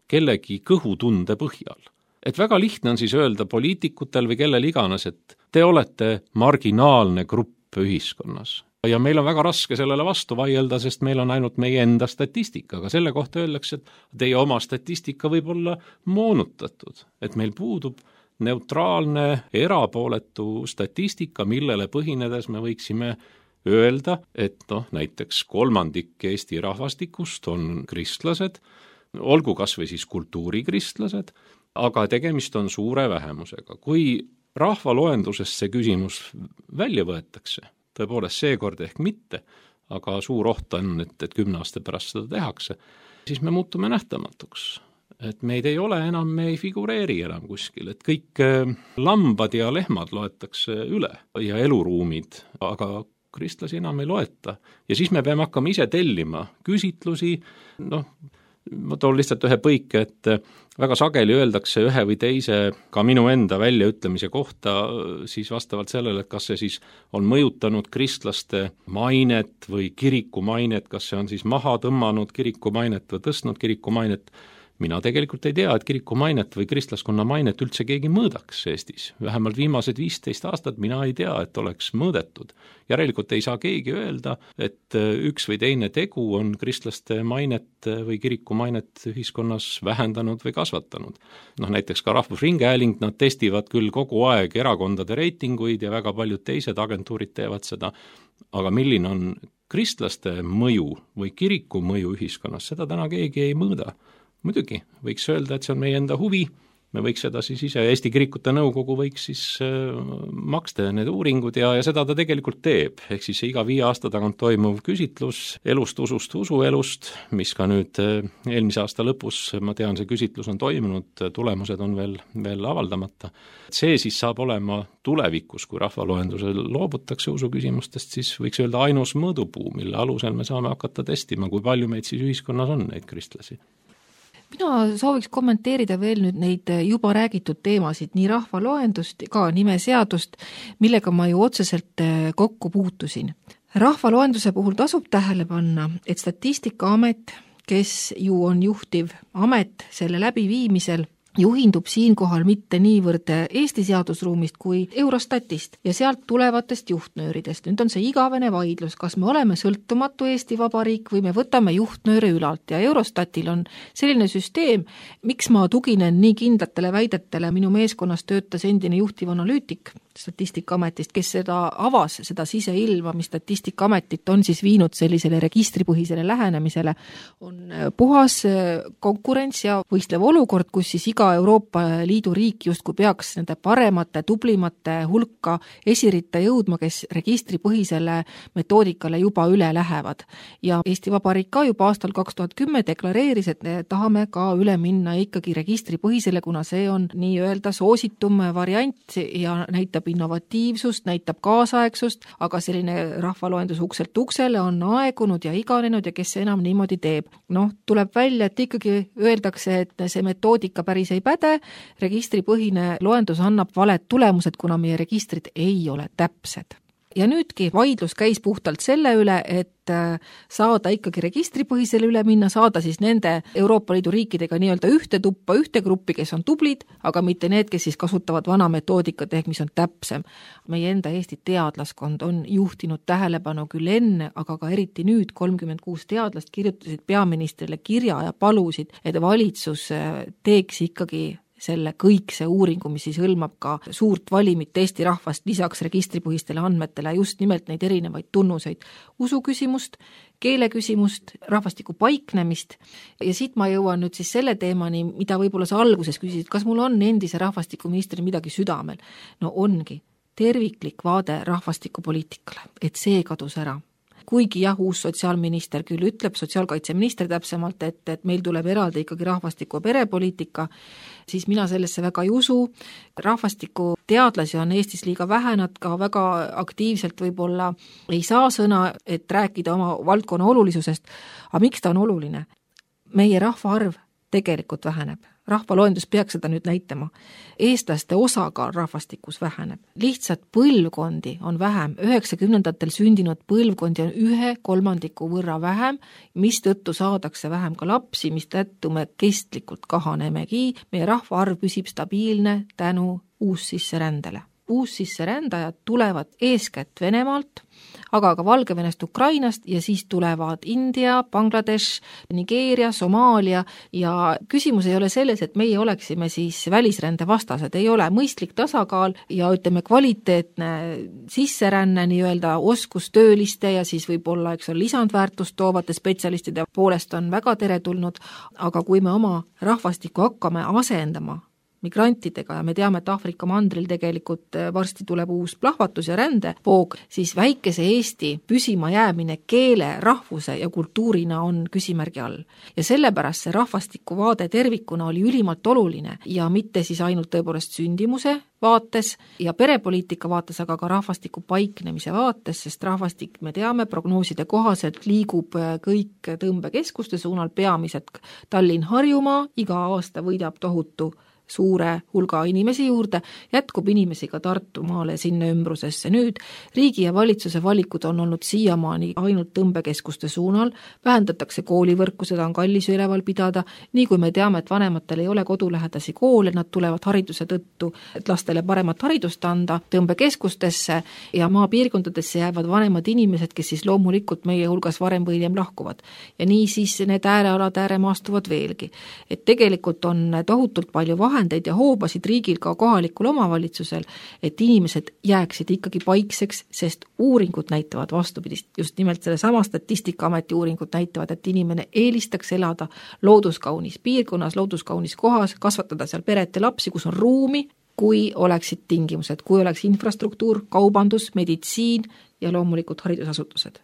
kellegi kõhutunde põhjal. Et väga lihtne on siis öelda poliitikutel või kellel iganes, et te olete marginaalne grupp ühiskonnas. Ja meil on väga raske sellele vastu vaielda, sest meil on ainult meie enda statistika, aga selle kohta öeldakse, et teie oma statistika võib olla moonutatud, et meil puudub neutraalne, erapooletu statistika, millele põhinedes me võiksime öelda, et näiteks 1/3 Eesti rahvastikust on kristlased, olgu kas või siis kultuurikristlased, aga tegemist on suure vähemusega. Kui rahvaloendusest see küsimus välja võetakse, tõepoolest seekord ehk mitte, aga suur oht on, et 10 aasta pärast seda tehakse, siis me muutume nähtamatuks. Et meid ei ole enam, me ei figureeri enam kuskil, et kõik lambad ja lehmad loetakse üle ja eluruumid, aga kristlasi enam ei loeta. Ja siis me peame hakkama ise tellima küsitlusi, ma toon lihtsalt ühe põike, et väga sageli öeldakse ühe või teise, ka minu enda väljaütlemise kohta, siis vastavalt sellele, et kas see siis on mõjutanud kristlaste mainet või kiriku mainet, kas see on siis maha tõmmanud kiriku mainet või tõstnud kiriku mainet. Mina tegelikult ei tea, et kiriku mainet või kristlaskonna mainet üldse keegi mõõdaks Eestis. Vähemalt viimased 15 aastat mina ei tea, et oleks mõõdetud. Järelikult ei saa keegi öelda, et üks või teine tegu on kristlaste mainet või kiriku mainet ühiskonnas vähendanud või kasvatanud. Näiteks ka Rahvusringhääling, nad testivad küll kogu aeg erakondade reitinguid ja väga paljud teised agentuurid teevad seda, aga milline on kristlaste mõju või kiriku mõju ühiskonnas, seda täna keegi ei mõõda. Muidugi, võiks öelda, et see on meie enda huvi, me võiks seda siis ise, Eesti Kirikute Nõukogu võiks siis maksta need uuringud ja seda ta tegelikult teeb, ehk siis iga 5 aasta tagant toimuv küsitlus elust, usust, usuelust, mis ka nüüd eelmise aasta lõpus, ma tean, see küsitlus on toimunud, tulemused on veel avaldamata. See siis saab olema tulevikus, kui rahvaloendusel loobutakse usuküsimustest, siis võiks öelda ainus mõõdupuu, mille alusel me saame hakata testima, kui palju meid siis ühiskonnas on, neid kristlasi. Mina sooviks kommenteerida veel nüüd neid juba räägitud teemasid, nii rahvaloendust, ka nimeseadust, millega ma ju otseselt kokku puutusin. Rahvaloenduse puhul tasub tähele panna, et Statistikaamet, kes ju on juhtiv amet selle läbiviimisel, juhindub siinkohal mitte niivõrd Eesti seadusruumist kui Eurostatist ja sealt tulevatest juhtnööridest. Nüüd on see igavene vaidlus, kas me oleme sõltumatu Eesti Vabariik või me võtame juhtnööre ülalt ja Eurostatil on selline süsteem, miks ma tuginen nii kindlatele väidetele, minu meeskonnas töötas endine juhtiv analüütik Statistikaametist, kes seda avas, seda siseilma, mis Statistikaametit on siis viinud sellisele registripõhisele lähenemisele, on puhas konkurents ja võistlev olukord, kus siis iga Euroopa Liidu riik justkui peaks nende paremate, tublimate hulka esiritta jõudma, kes registripõhisele metoodikale juba üle lähevad. Ja Eesti Vabariik ka juba aastal 2010 deklareeris, et tahame ka üle minna ikkagi registripõhisele, kuna see on nii-öelda soositum variant ja näitab innovatiivsust, näitab kaasaegsust, aga selline rahvaloendus ukselt uksele on aegunud ja iganenud ja kes enam niimoodi teeb. Tuleb välja, et ikkagi öeldakse, et see metoodika päris ei päde, registripõhine loendus annab valed tulemused, kuna meie registrid ei ole täpsed. Ja nüüdki vaidlus käis puhtalt selle üle, et saada ikkagi registripõhisele üle minna, saada siis nende Euroopa Liidu riikidega nii-öelda ühte tuppa, ühte gruppi, kes on tublid, aga mitte need, kes siis kasutavad vana metoodikat ehk mis on täpsem. Meie enda Eesti teadlaskond on juhtinud tähelepanu küll enne, aga ka eriti nüüd 36 teadlast kirjutasid peaministrile kirja ja palusid, et valitsus teeks ikkagi selle kõikse uuringu, mis siis hõlmab ka suurt valimit Eesti rahvast lisaks registripõhistele andmetele, just nimelt neid erinevaid tunnuseid, usuküsimust, keeleküsimust, rahvastiku paiknemist ja siit ma jõuan nüüd siis selle teemani, mida võib-olla sa alguses küsisid, kas mul on endise rahvastikuministri midagi südamel? No ongi terviklik vaade rahvastikupoliitikale, et see kadus ära. Kuigi jah, uus sotsiaalminister küll ütleb, sotsiaalkaitseminister täpsemalt, et meil tuleb eraldi ikkagi rahvastiku ja perepoliitika, siis mina sellesse väga ei usu. Rahvastiku teadlasi on Eestis liiga vähe, nad ka väga aktiivselt võib-olla ei saa sõna, et rääkida oma valdkonna olulisusest. Aga miks ta on oluline? Meie rahvaarv tegelikult väheneb. Rahvaloendus peaks seda nüüd näitama. Eestlaste osakaal rahvastikus väheneb. Lihtsalt põlvkondi on vähem. 90-ndatel sündinud põlvkondi on 1/3 võrra vähem, mis tõttu saadakse vähem ka lapsi, mis tõttu me kestlikult kahanemegi. Meie rahvaarv püsib stabiilne tänu uussisserändele. Uussisserändajad tulevad eeskätt Venemaalt, aga ka Valgevenest, Ukrainast ja siis tulevad India, Bangladesh, Nigeeria, Somaalia ja küsimus ei ole selles, et meie oleksime siis välisrände vastased, ei ole mõistlik tasakaal ja ütleme kvaliteetne sisseränne nii-öelda oskustööliste ja siis võib-olla lisandväärtust toovate spetsialistide poolest on väga teretulnud, aga kui me oma rahvastikku hakkame asendama migrantidega ja me teame, et Aafrika mandril tegelikult varsti tuleb uus plahvatus ja rändevoog, siis väikese Eesti püsima jäämine keele, rahvuse ja kultuurina on küsimärgi all. Ja sellepärast see rahvastikuvaade tervikuna oli ülimalt oluline ja mitte siis ainult tõepoolest sündimuse vaates ja perepoliitika vaates, aga ka rahvastiku paiknemise vaates, sest rahvastik, me teame, prognooside kohaselt liigub kõik tõmbekeskuste suunal, peamiselt Tallinn-Harjumaa, iga aasta võidab tohutu suure hulga inimesi juurde, jätkub inimesi ka Tartumaale sinna ümbrusesse. Nüüd riigi ja valitsuse valikud on olnud siiamaani ainult tõmbekeskuste suunal, vähendatakse koolivõrku, seda on kallis üleval pidada, nii kui me teame, et vanematel ei ole kodulähedasi koole, nad tulevad hariduse tõttu, et lastele paremat haridust anda tõmbekeskustesse ja maapiirkondadesse jäävad vanemad inimesed, kes siis loomulikult meie hulgas varem või hiljem lahkuvad. Ja nii siis need äärealad ääremaastuvad veelgi. Et tegelikult on tohutult palju vahe vahendeid ja hoobasid riigil ka kohalikul omavalitsusel, et inimesed jääksid ikkagi paikseks, sest uuringud näitavad vastupidist. Just nimelt selle sama Statistikaameti uuringud näitavad, et inimene eelistaks elada looduskaunis piirkonnas, looduskaunis kohas, kasvatada seal peret ja lapsi, kus on ruumi, kui oleksid tingimused, kui oleks infrastruktuur, kaubandus, meditsiin ja loomulikult haridusasutused.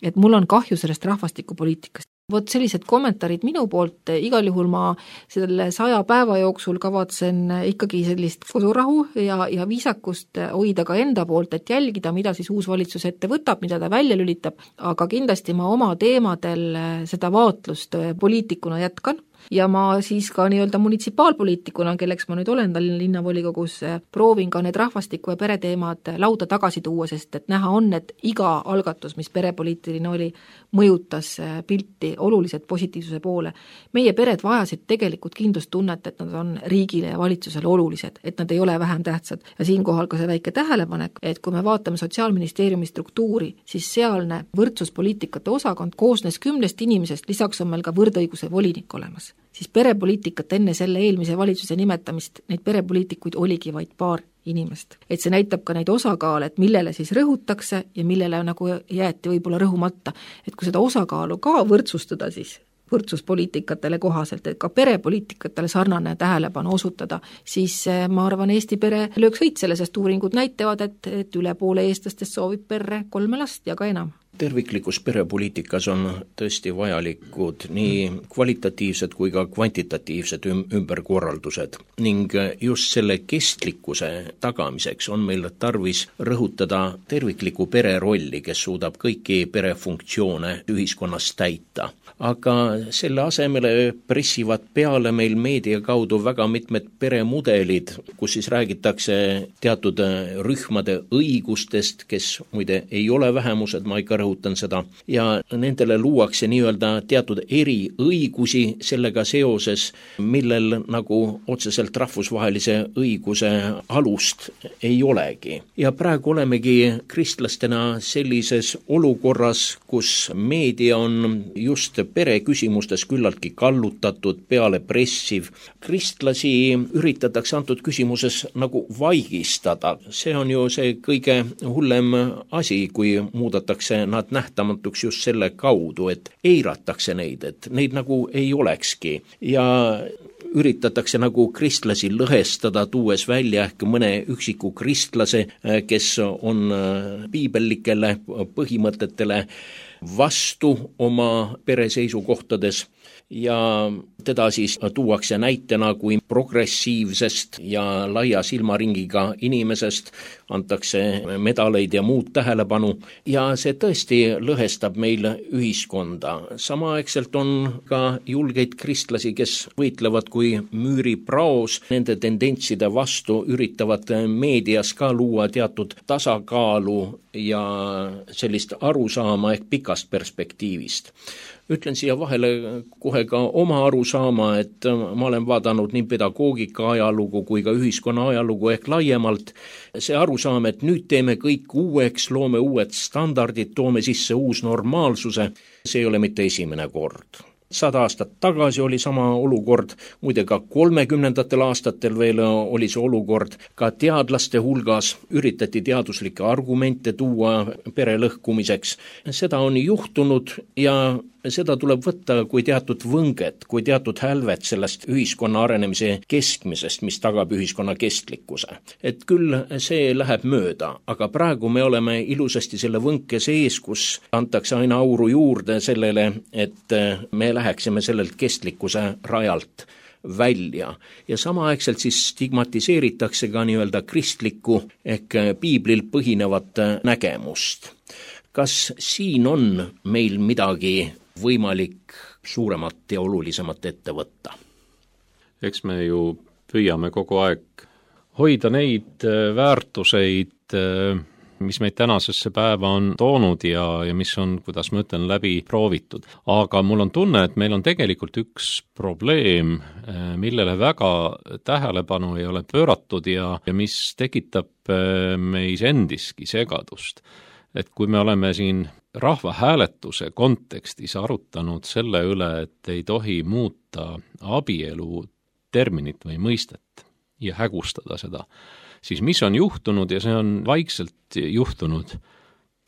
Et mul on kahju sellest rahvastikupoliitikast. Vot sellised kommentaarid minu poolt, igal juhul ma selle 100 päeva jooksul kavatsen ikkagi sellist kodurahu ja viisakust hoida ka enda poolt, et jälgida, mida siis uus valitsus ette võtab, mida ta välja lülitab, aga kindlasti ma oma teemadel seda vaatlust poliitikuna jätkan. Ja ma siis ka nii-öelda munitsipaalpoliitikuna, kelleks ma nüüd olen Tallinna linnavolikogus, proovin ka need rahvastiku ja pereteemad lauda tagasi tuua, sest et näha on, et iga algatus, mis perepoliitiline oli, mõjutas pilti oluliselt positiivsuse poole. Meie pered vajasid tegelikult kindlustunnet, et nad on riigile ja valitsusele olulised, et nad ei ole vähem tähtsad. Ja siinkohal ka see väike tähelepanek, et kui me vaatame Sotsiaalministeeriumi struktuuri, siis sealne võrdsuspoliitikate osakond koosnes 10 inimesest, lisaks on meil ka võrdõiguse volinik olemas. Siis perepoliitikat enne selle eelmise valitsuse nimetamist, neid perepoliitikuid oligi vaid paar inimest. Et see näitab ka neid osakaale, et millele siis rõhutakse ja millele nagu jäeti võib-olla rõhumata. Et kui seda osakaalu ka võrdsustada siis võrdsuspoliitikatele kohaselt, et ka perepoliitikatele sarnane tähelepanu osutada, siis ma arvan, Eesti pere lööks võit selle, sest uuringud näitavad, et üle poole eestlastest soovib perre 3 last ja ka enam. Terviklikus perepoliitikas on tõesti vajalikud nii kvalitatiivsed kui ka kvantitatiivsed ümberkorraldused ning just selle kestlikkuse tagamiseks on meil tarvis rõhutada tervikliku pere rolli, kes suudab kõiki perefunktsioone ühiskonnas täita. Aga selle asemele pressivad peale meil meedia kaudu väga mitmed peremudelid, kus siis räägitakse teatud rühmade õigustest, kes muide ei ole vähemused, ma ikka rõhutan seda, ja nendele luuakse nii-öelda teatud eriõigusi sellega seoses, millel nagu otseselt rahvusvahelise õiguse alust ei olegi. Ja praegu olemegi kristlastena sellises olukorras, kus meedia on just pereküsimustes küllaltki kallutatud, peale pressiv. Kristlasi üritatakse antud küsimuses nagu vaigistada. See on ju see kõige hullem asi, kui muudatakse nad nähtamatuks just selle kaudu, et eiratakse neid, et neid nagu ei olekski. Ja üritatakse nagu kristlasi lõhestada, tuues välja ehk mõne üksiku kristlase, kes on piibellikele põhimõtetele vastu oma pereseisukohtades ja teda siis tuuakse näitena kui progressiivsest ja laia silmaringiga inimesest, antakse medaleid ja muud tähelepanu ja see tõesti lõhestab meil ühiskonda. Samaaegselt on ka julgeid kristlasi, kes võitlevad kui müüripraos nende tendentside vastu, üritavad meedias ka luua teatud tasakaalu ja sellist arusaama ehk pikast perspektiivist. Ütlen siia vahele kohe ka oma arusaama, et ma olen vaadanud nii pedagoogika ajalugu kui ka ühiskonna ajalugu ehk laiemalt. See arusaam, et nüüd teeme kõik uueks, loome uued standardid, toome sisse uus normaalsuse, see ei ole mitte esimene kord. 100 aastat tagasi oli sama olukord, muide ka 30. aastatel veel oli see olukord, ka teadlaste hulgas üritati teaduslikke argumente tuua pere lõhkumiseks. Seda on juhtunud ja seda tuleb võtta kui teatud võnget, kui teatud hälvet sellest ühiskonna arenemise keskmisest, mis tagab ühiskonna kestlikkuse. Et küll see läheb mööda, aga praegu me oleme ilusasti selle võnke sees, kus antakse aina auru juurde sellele, et me läheksime sellelt kestlikkuse rajalt välja. Ja samaaegselt siis stigmatiseeritakse ka nii-öelda kristlikku ehk piiblil põhinevat nägemust. Kas siin on meil midagi võimalik suuremat ja olulisemat ette võtta? Eks me ju püüame kogu aeg hoida neid väärtuseid, mis meid tänasesse päeva on toonud ja mis on, kuidas ma ütlen, läbi proovitud. Aga mul on tunne, et meil on tegelikult üks probleem, millele väga tähelepanu ei ole pööratud ja mis tekitab meis endiski segadust. Et kui me oleme siin rahvahääletuse kontekstis arutanud selle üle, et ei tohi muuta abielu terminit või mõistet ja hägustada seda, siis mis on juhtunud ja see on vaikselt juhtunud,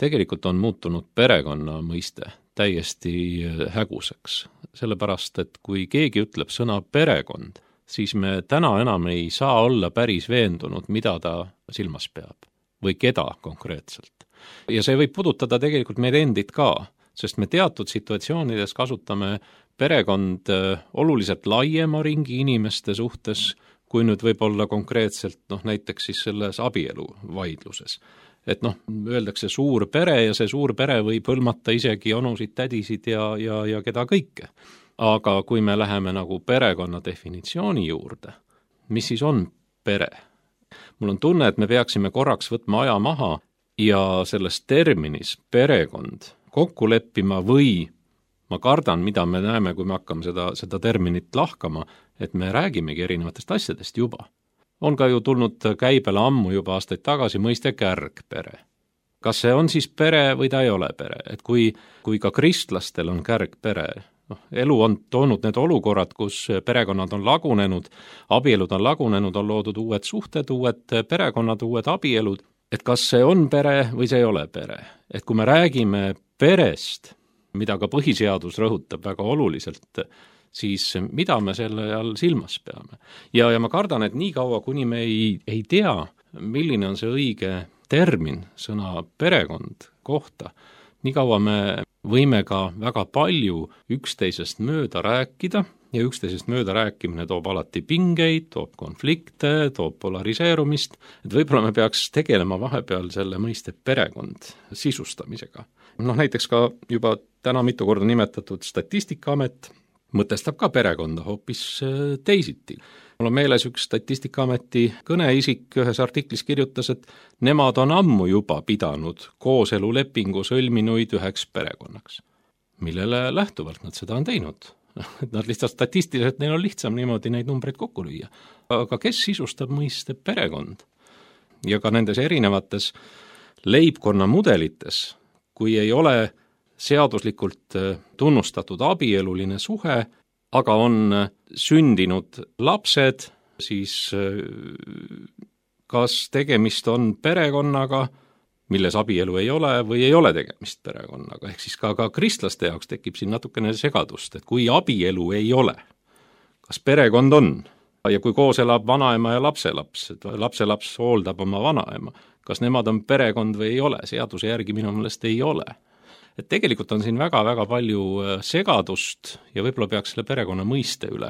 tegelikult on muutunud perekonna mõiste täiesti häguseks. Sellepärast, et kui keegi ütleb sõna perekond, siis me täna enam ei saa olla päris veendunud, mida ta silmas peab või keda konkreetselt. Ja see võib puudutada tegelikult meid endid ka, sest me teatud situatsioonides kasutame perekond oluliselt laiema ringi inimeste suhtes, kui nüüd võib olla konkreetselt näiteks siis selles abielu vaidluses. Et öeldakse suur pere ja see suur pere võib hõlmata isegi onusid, tädisid ja keda kõike. Aga kui me läheme nagu perekonna definitsiooni juurde, mis siis on pere? Mul on tunne, et me peaksime korraks võtma aja maha ja selles terminis perekond kokku leppima või ma kardan, mida me näeme, kui me hakkame seda terminit lahkama, et me räägimegi erinevatest asjadest juba. On ka ju tulnud käibele ammu juba aastaid tagasi mõiste kärgpere. Kas see on siis pere või ta ei ole pere? Et kui ka kristlastel on kärgpere, elu on toonud need olukorrad, kus perekonnad on lagunenud, abielud on lagunenud, on loodud uued suhted, uued perekonnad, uued abielud, et kas see on pere või see ei ole pere? Et kui me räägime perest, mida ka põhiseadus rõhutab väga oluliselt, siis mida me selle all silmas peame? Ja ma kardan, et nii kaua, kuni me ei tea, milline on see õige termin sõna perekond kohta, nii kaua me võime ka väga palju üksteisest mööda rääkida ja üksteisest mööda rääkimine toob alati pingeid, toob konflikte, toob polariseerumist, et võib-olla me peaks tegelema vahepeal selle mõiste perekond sisustamisega. Näiteks ka juba täna mitu korda nimetatud Statistikaamet mõtestab ka perekonda hoopis teisiti. Mul on meeles üks Statistikaameti kõneisik ühes artiklis kirjutas, et nemad on ammu juba pidanud kooselulepingu sõlminuid üheks perekonnaks. Millele lähtuvalt nad seda on teinud? Nad lihtsalt statistiliselt, neil on lihtsam niimoodi neid numbreid kokku lüüa. Aga kes sisustab mõiste perekond? Ja ka nendes erinevates leibkonna mudelites, kui ei ole seaduslikult tunnustatud abieluline suhe, aga on sündinud lapsed, siis kas tegemist on perekonnaga, milles abielu ei ole või ei ole tegemist perekonnaga. Ehk siis ka kristlaste jaoks tekib siin natukene segadust, et kui abielu ei ole, kas perekond on? Ja kui koos elab vanaema ja lapselaps, et lapselaps hooldab oma vanaema, kas nemad on perekond või ei ole? Seaduse järgi minu meelest ei ole. Et tegelikult on siin väga-väga palju segadust ja võib-olla peaks selle perekonna mõiste üle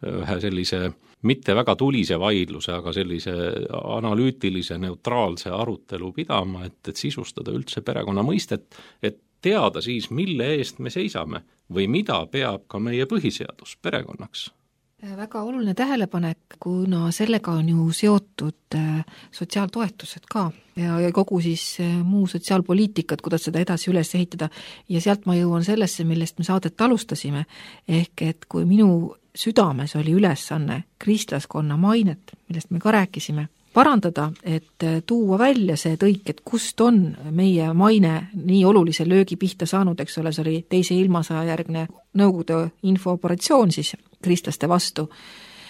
ühe sellise mitte väga tulise vaidluse, aga sellise analüütilise, neutraalse arutelu pidama, et sisustada üldse perekonna mõistet, et teada siis, mille eest me seisame või mida peab ka meie põhiseadus perekonnaks. Väga oluline tähelepanek, kuna sellega on ju seotud sotsiaaltoetused ka ja kogu siis muu sotsiaalpoliitikat, kuidas seda edasi üles ehitada ja sealt ma jõuan sellesse, millest me saadet alustasime, ehk et kui minu südames oli ülesanne kristlaskonna mainet, millest me ka rääkisime, parandada, et tuua välja see tõik, et kust on meie maine nii olulise löögi pihta saanud, eks ole, see oli teise ilmasõja järgne Nõukogude infooperatsioon siis kristlaste vastu,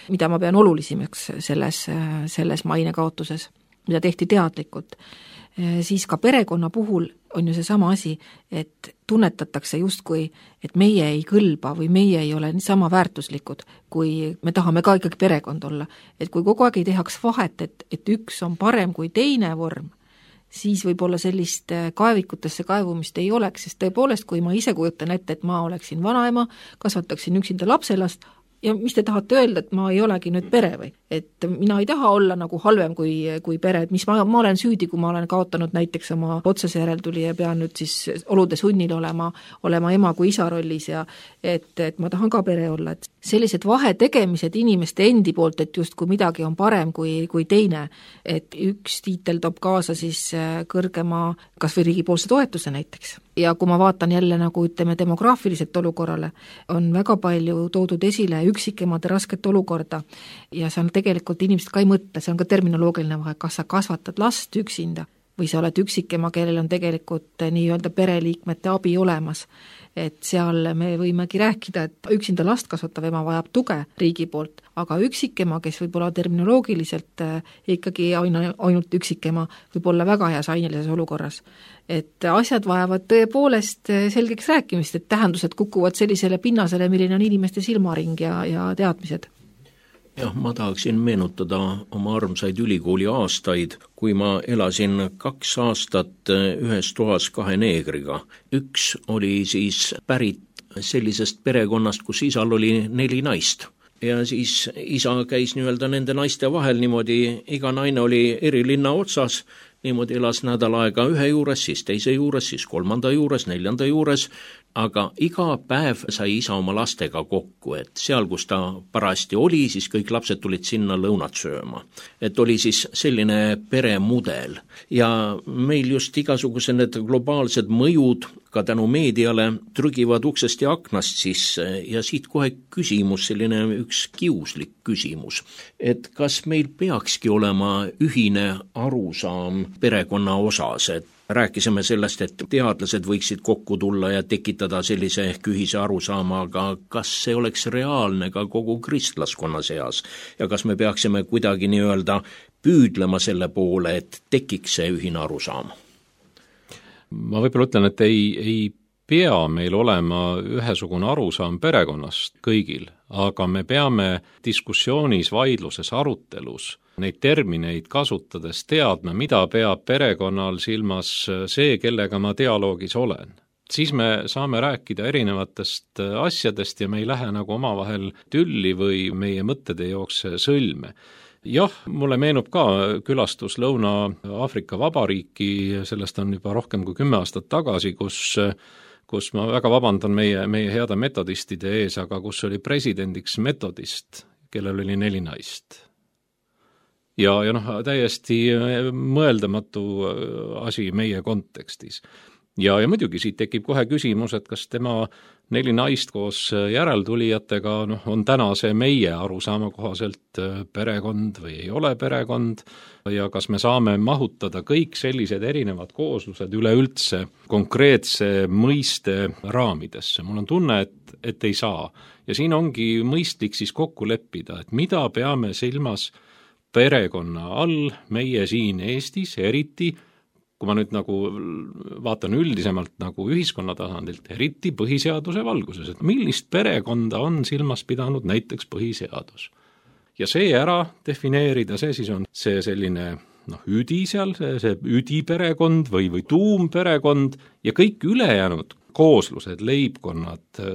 mida ma pean olulisimaks selles mainekaotuses, mida tehti teadlikult. Siis ka perekonna puhul on ju see sama asi, et tunnetatakse justkui, et meie ei kõlba või meie ei ole sama väärtuslikud, kui me tahame ka ikkagi perekond olla. Et kui kogu aeg ei tehaks vahet, et üks on parem kui teine vorm, siis võib-olla sellist kaevikutesse kaevumist ei oleks, sest tõepoolest, kui ma ise kujutan ette, et ma oleksin vanaema, kasvataksin üksinda lapselast, ja mis te tahate öelda, et ma ei olegi nüüd pere või? Et mina ei taha olla nagu halvem kui pere, et mis ma olen süüdi, kui ma olen kaotanud näiteks oma otsese järeltuli ja pean nüüd siis olude sunnil olema ema kui isa rollis ja et ma tahan ka pere olla. Et sellised vahetegemised inimeste endi poolt, et just kui midagi on parem kui teine, et üks tiitel toob kaasa siis kõrgema kas või riigipoolse toetuse näiteks. Ja kui ma vaatan jälle nagu ütleme demograafiliselt olukorrale, on väga palju toodud esile üksikemade rasket olukorda ja see on tegelikult inimesed ka ei mõtle, see on ka terminoloogiline vahe, kas sa kasvatad last üksinda või sa oled üksikema, kellel on tegelikult nii-öelda pereliikmete abi olemas. Et seal me võimegi rääkida, et üksinda last kasvatav ema vajab tuge riigi poolt, aga üksikema, kes võib olla terminoloogiliselt ikkagi ainult üksikema, võib olla väga heas ainelises olukorras. Et asjad vajavad tõepoolest selgeks rääkimist, et tähendused kukuvad sellisele pinnasele, milline on inimeste silmaring ja teadmised. Jah, ma tahaksin meenutada oma armsaid ülikooli aastaid, kui ma elasin 2 aastat ühes toas 2 neegriga. Üks oli siis pärit sellisest perekonnast, kus isal oli 4 naist. Ja siis isa käis nii-öelda nende naiste vahel niimoodi, iga naine oli eri linna otsas, niimoodi elas nädal aega ühe juures, siis teise juures, siis 3. juures, 4. juures, aga iga päev sai isa oma lastega kokku, et seal, kus ta parasti oli, siis kõik lapsed tulid sinna lõunat sööma. Et oli siis selline peremudel ja meil just igasugused need globaalsed mõjud ka tänu meediale trügivad uksest ja aknast sisse ja siit kohe küsimus, selline üks kiuslik küsimus, et kas meil peakski olema ühine arusaam perekonna osas, et rääkisime sellest, et teadlased võiksid kokku tulla ja tekitada sellise ehk ühise arusaama, aga kas see oleks reaalne ka kogu kristlaskonna seas ja kas me peaksime kuidagi nii-öelda püüdlema selle poole, et tekiks see ühine arusaam? Ma võib-olla ütlen, et ei pea meil olema ühesugune arusaam perekonnast kõigil, aga me peame diskussioonis, vaidluses, arutelus neid termineid kasutades teadma, mida peab perekonnal silmas see, kellega ma dialoogis olen. Siis me saame rääkida erinevatest asjadest ja me ei lähe nagu omavahel tülli või meie mõtted ei jookse sõlme. Jah, mulle meenub ka külastus Lõuna-Aafrika Vabariiki, sellest on juba rohkem kui 10 aastat tagasi, kus ma väga vabandan meie heade metodistide ees, aga kus oli presidendiks metodist, kellel oli 4 naist. Ja täiesti mõeldamatu asi meie kontekstis. Ja muidugi siit tekib kohe küsimus, et kas tema 4 naist koos järeltulijatega on täna see meie arusaama kohaselt perekond või ei ole perekond ja kas me saame mahutada kõik sellised erinevad kooslused üleüldse konkreetse mõiste raamidesse. Mul on tunne, et ei saa. Ja siin ongi mõistlik siis kokku leppida, et mida peame silmas perekonna all meie siin Eestis, eriti kui ma nüüd nagu vaatan üldisemalt nagu ühiskonna tasandilt, eriti põhiseaduse valguses, et millist perekonda on silmas pidanud näiteks põhiseadus. Ja see ära defineerida, see siis on see selline üdi seal, see üdiperekond või tuumperekond ja kõik ülejäänud kooslused, leibkonnad,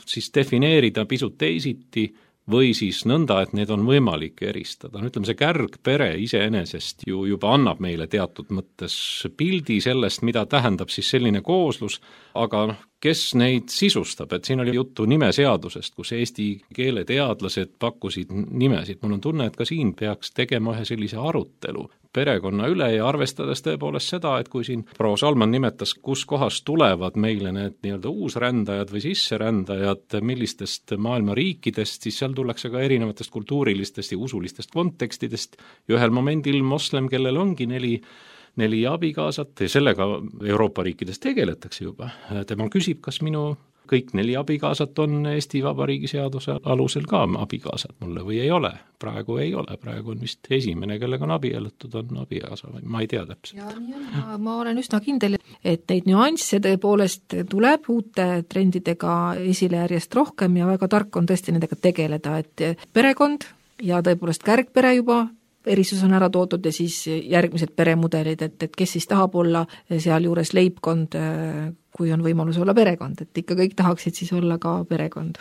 siis defineerida pisut teisiti või siis nõnda, et need on võimalik eristada. Ütleme, see kärgpere iseenesest ju juba annab meile teatud mõttes pildi sellest, mida tähendab siis selline kooslus, aga kes neid sisustab, et siin oli juttu nimeseadusest, kus eesti keele teadlased pakkusid nimesid. Mul on tunne, et ka siin peaks tegema ühe sellise arutelu perekonna üle ja arvestades tõepoolest seda, et kui siin proua Salman nimetas, kus kohast tulevad meile need nii-öelda uusrändajad või sisserändajad, millistest maailma riikidest, siis seal tullakse ka erinevatest kultuurilistest ja usulistest kontekstidest ja ühel momendil moslem, kellel ongi 4 abikaasat ja sellega Euroopa riikides tegeletakse juba. Tema küsib, kas minu kõik 4 abikaasat on Eesti Vabariigi seaduse alusel ka abikaasad mulle või ei ole. Praegu ei ole, praegu on vist esimene, kellega on abiellutud, on abikaasa või ma ei tea täpselt. Ja nii on, ma olen üsna kindel, et neid nüansse tõepoolest tuleb uute trendidega esile järjest rohkem ja väga tark on tõesti nendega tegeleda, et perekond ja tõepoolest kärgpere juba erisus on ära toodud ja siis järgmised peremudelid, et kes siis tahab olla seal juures leibkond, kui on võimalus olla perekond, et ikka kõik tahaksid siis olla ka perekond.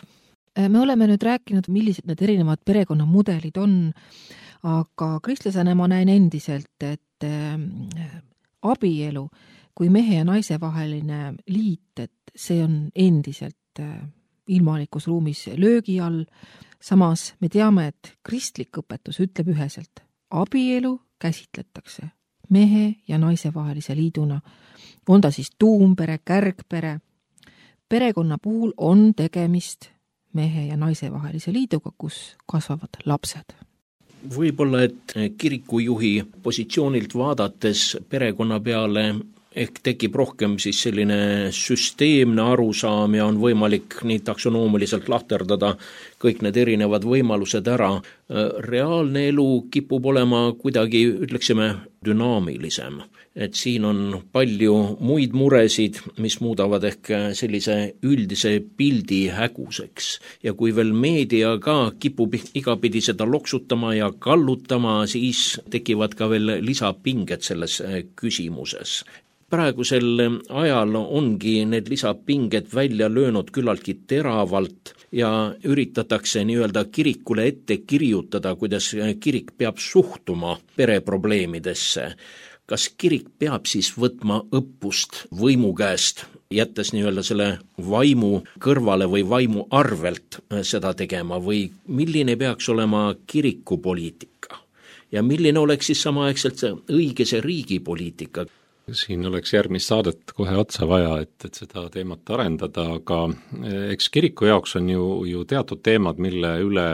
Me oleme nüüd rääkinud, millised need erinevad perekonnamudelid on, aga kristlasena ma näen endiselt, et abielu kui mehe ja naise vaheline liit, et see on endiselt ilmalikus ruumis löögi all. Samas me teame, et kristlik õpetus ütleb üheselt, abielu käsitletakse mehe ja naise vahelise liiduna. On ta siis tuumpere, kärgpere. Perekonna puhul on tegemist mehe ja naise vahelise liiduga, kus kasvavad lapsed. võib-olla, et kirikujuhi positsioonilt vaadates perekonna peale ehk tekib rohkem siis selline süsteemne arusaam ja on võimalik nii taksonoomiliselt lahterdada kõik need erinevad võimalused ära. Reaalne elu kipub olema kuidagi, ütleksime, dünaamilisem. Et siin on palju muid muresid, mis muudavad ehk sellise üldise pildi häguseks. Ja kui veel meedia ka kipub igapidi seda loksutama ja kallutama, siis tekivad ka veel lisapinged selles küsimuses. Praegusel ajal ongi need lisapinged välja löönud küllaltki teravalt ja üritatakse nii-öelda kirikule ette kirjutada, kuidas kirik peab suhtuma pereprobleemidesse. Kas kirik peab siis võtma õppust võimu käest, jättes nii-öelda selle vaimu kõrvale või vaimu arvelt seda tegema või milline peaks olema kirikupoliitika? Ja milline oleks siis samaaegselt see õige see riigipoliitika? Siin oleks järgmist saadet kohe otsa vaja, et seda teemat arendada, aga eks kiriku jaoks on ju teatud teemad, mille üle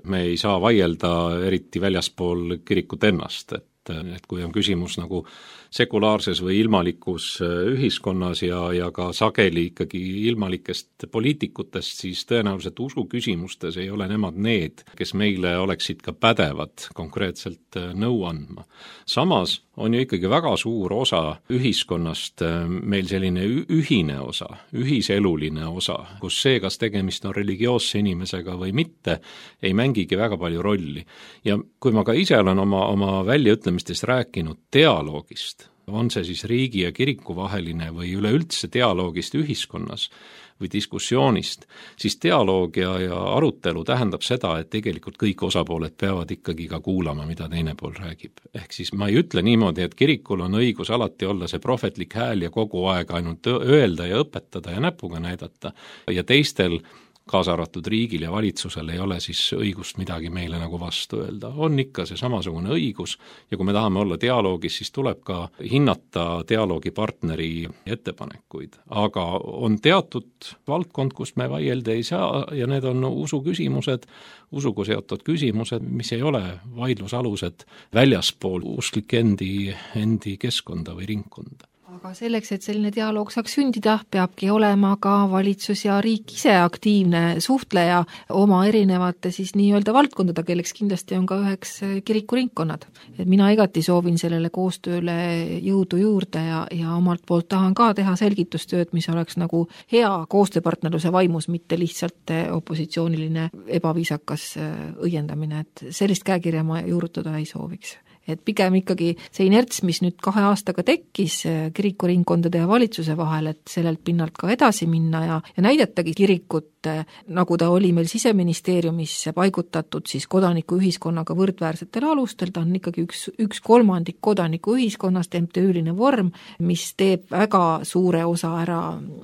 me ei saa vaielda eriti väljaspool kirikut ennast, et kui on küsimus nagu sekulaarses või ilmalikus ühiskonnas ja ka sageli ikkagi ilmalikest poliitikutest, siis tõenäoliselt usu küsimustes ei ole nemad need, kes meile oleksid ka pädevad konkreetselt nõu andma. Samas on ju ikkagi väga suur osa ühiskonnast meil selline ühine osa, ühiseluline osa, kus see, kas tegemist on religioosse inimesega või mitte, ei mängigi väga palju rolli. Ja kui ma ka ise olen oma väljaütlemistest rääkinud dialoogist, on see siis riigi ja kiriku vaheline või üleüldse dialoogist ühiskonnas või diskussioonist, siis dialoog ja arutelu tähendab seda, et tegelikult kõik osapooled peavad ikkagi ka kuulama, mida teine pool räägib. Ehk siis ma ei ütle niimoodi, et kirikul on õigus alati olla see prohvetlik hääl ja kogu aeg ainult öelda ja õpetada ja näpuga näidata ja teistel kaasa arvatud riigil ja valitsusel ei ole siis õigust midagi meile nagu vastu öelda. On ikka see samasugune õigus ja kui me tahame olla dialoogis, siis tuleb ka hinnata dialoogipartneri ettepanekuid. Aga on teatud valdkond, kust me vaielda ei saa ja need on usuküsimused, usuga seotud küsimused, mis ei ole vaidlusalused väljaspool usklik endi keskkonda või ringkonda. Aga selleks, et selline dialoog saaks sündida, peabki olema ka valitsus ja riik ise aktiivne suhtleja oma erinevate siis nii-öelda valdkondada, kelleks kindlasti on ka üheks kirikuringkonnad. Et mina igati soovin sellele koostööle jõudu juurde ja omalt poolt tahan ka teha selgitustööd, mis oleks nagu hea koostööpartnerluse vaimus, mitte lihtsalt opositsiooniline ebaviisakas õiendamine, et sellist käekirja ma juurutada ei sooviks. Et pigem ikkagi see inerts, mis nüüd 2 aastaga tekkis kirikuringkondade ja valitsuse vahel, et sellelt pinnalt ka edasi minna ja näidatagi kirikut, nagu ta oli meil Siseministeeriumis paigutatud siis kodanikuühiskonnaga võrdväärsetel alustel, ta on ikkagi üks kolmandik kodanikuühiskonnast, MTÜ-line vorm, mis teeb väga suure osa ära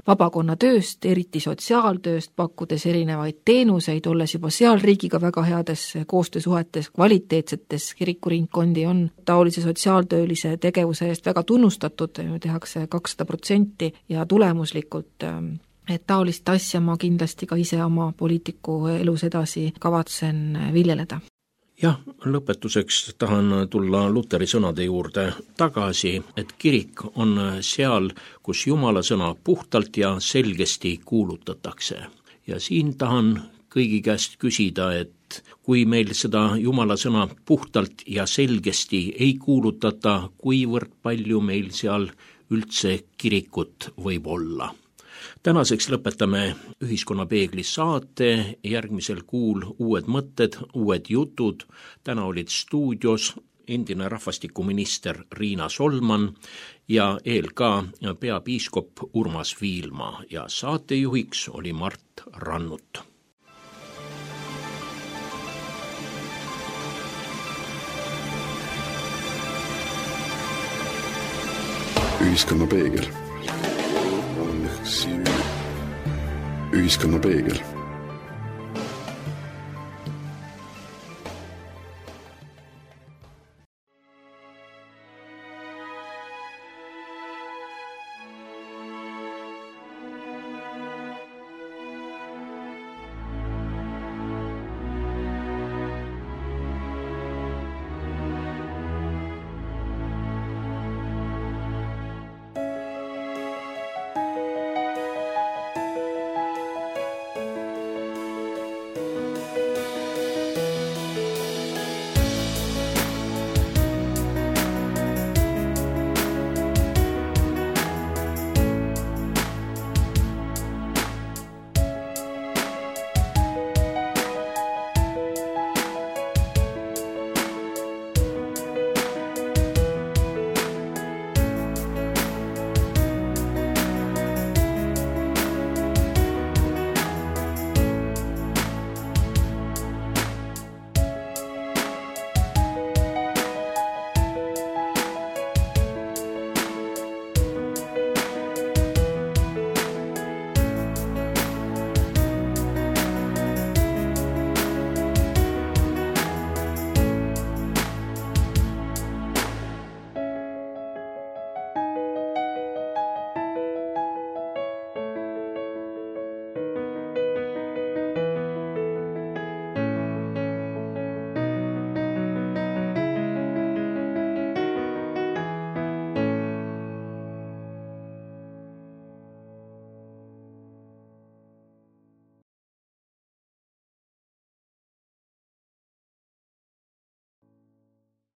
vabakonna tööst, eriti sotsiaaltööst, pakkudes erinevaid teenuseid, olles juba seal riigiga väga heades koostöösuhetes, kvaliteetsetes kirikuringkondi on taolise sotsiaaltöölise tegevuse eest väga tunnustatud, tehakse 200% ja tulemuslikult, et taolist asja ma kindlasti ka ise oma poliitiku elus edasi kavatsen viljeleda. Jah, lõpetuseks tahan tulla Luteri sõnade juurde tagasi, et kirik on seal, kus Jumala sõna puhtalt ja selgesti kuulutatakse. Ja siin tahan kõigi käest küsida, et kui meil seda Jumala sõna puhtalt ja selgesti ei kuulutata, kuivõrd palju meil seal üldse kirikut võib olla. Tänaseks lõpetame Ühiskonnapeegli saate, järgmisel kuul uued mõtted, uued jutud. Täna olid stuudios endine rahvastikuminister Riina Solman ja ELK peapiiskop Urmas Viilma ja saatejuhiks oli Mart Rannut. Ühiskonnapeegel. Ühiskonnapeegel.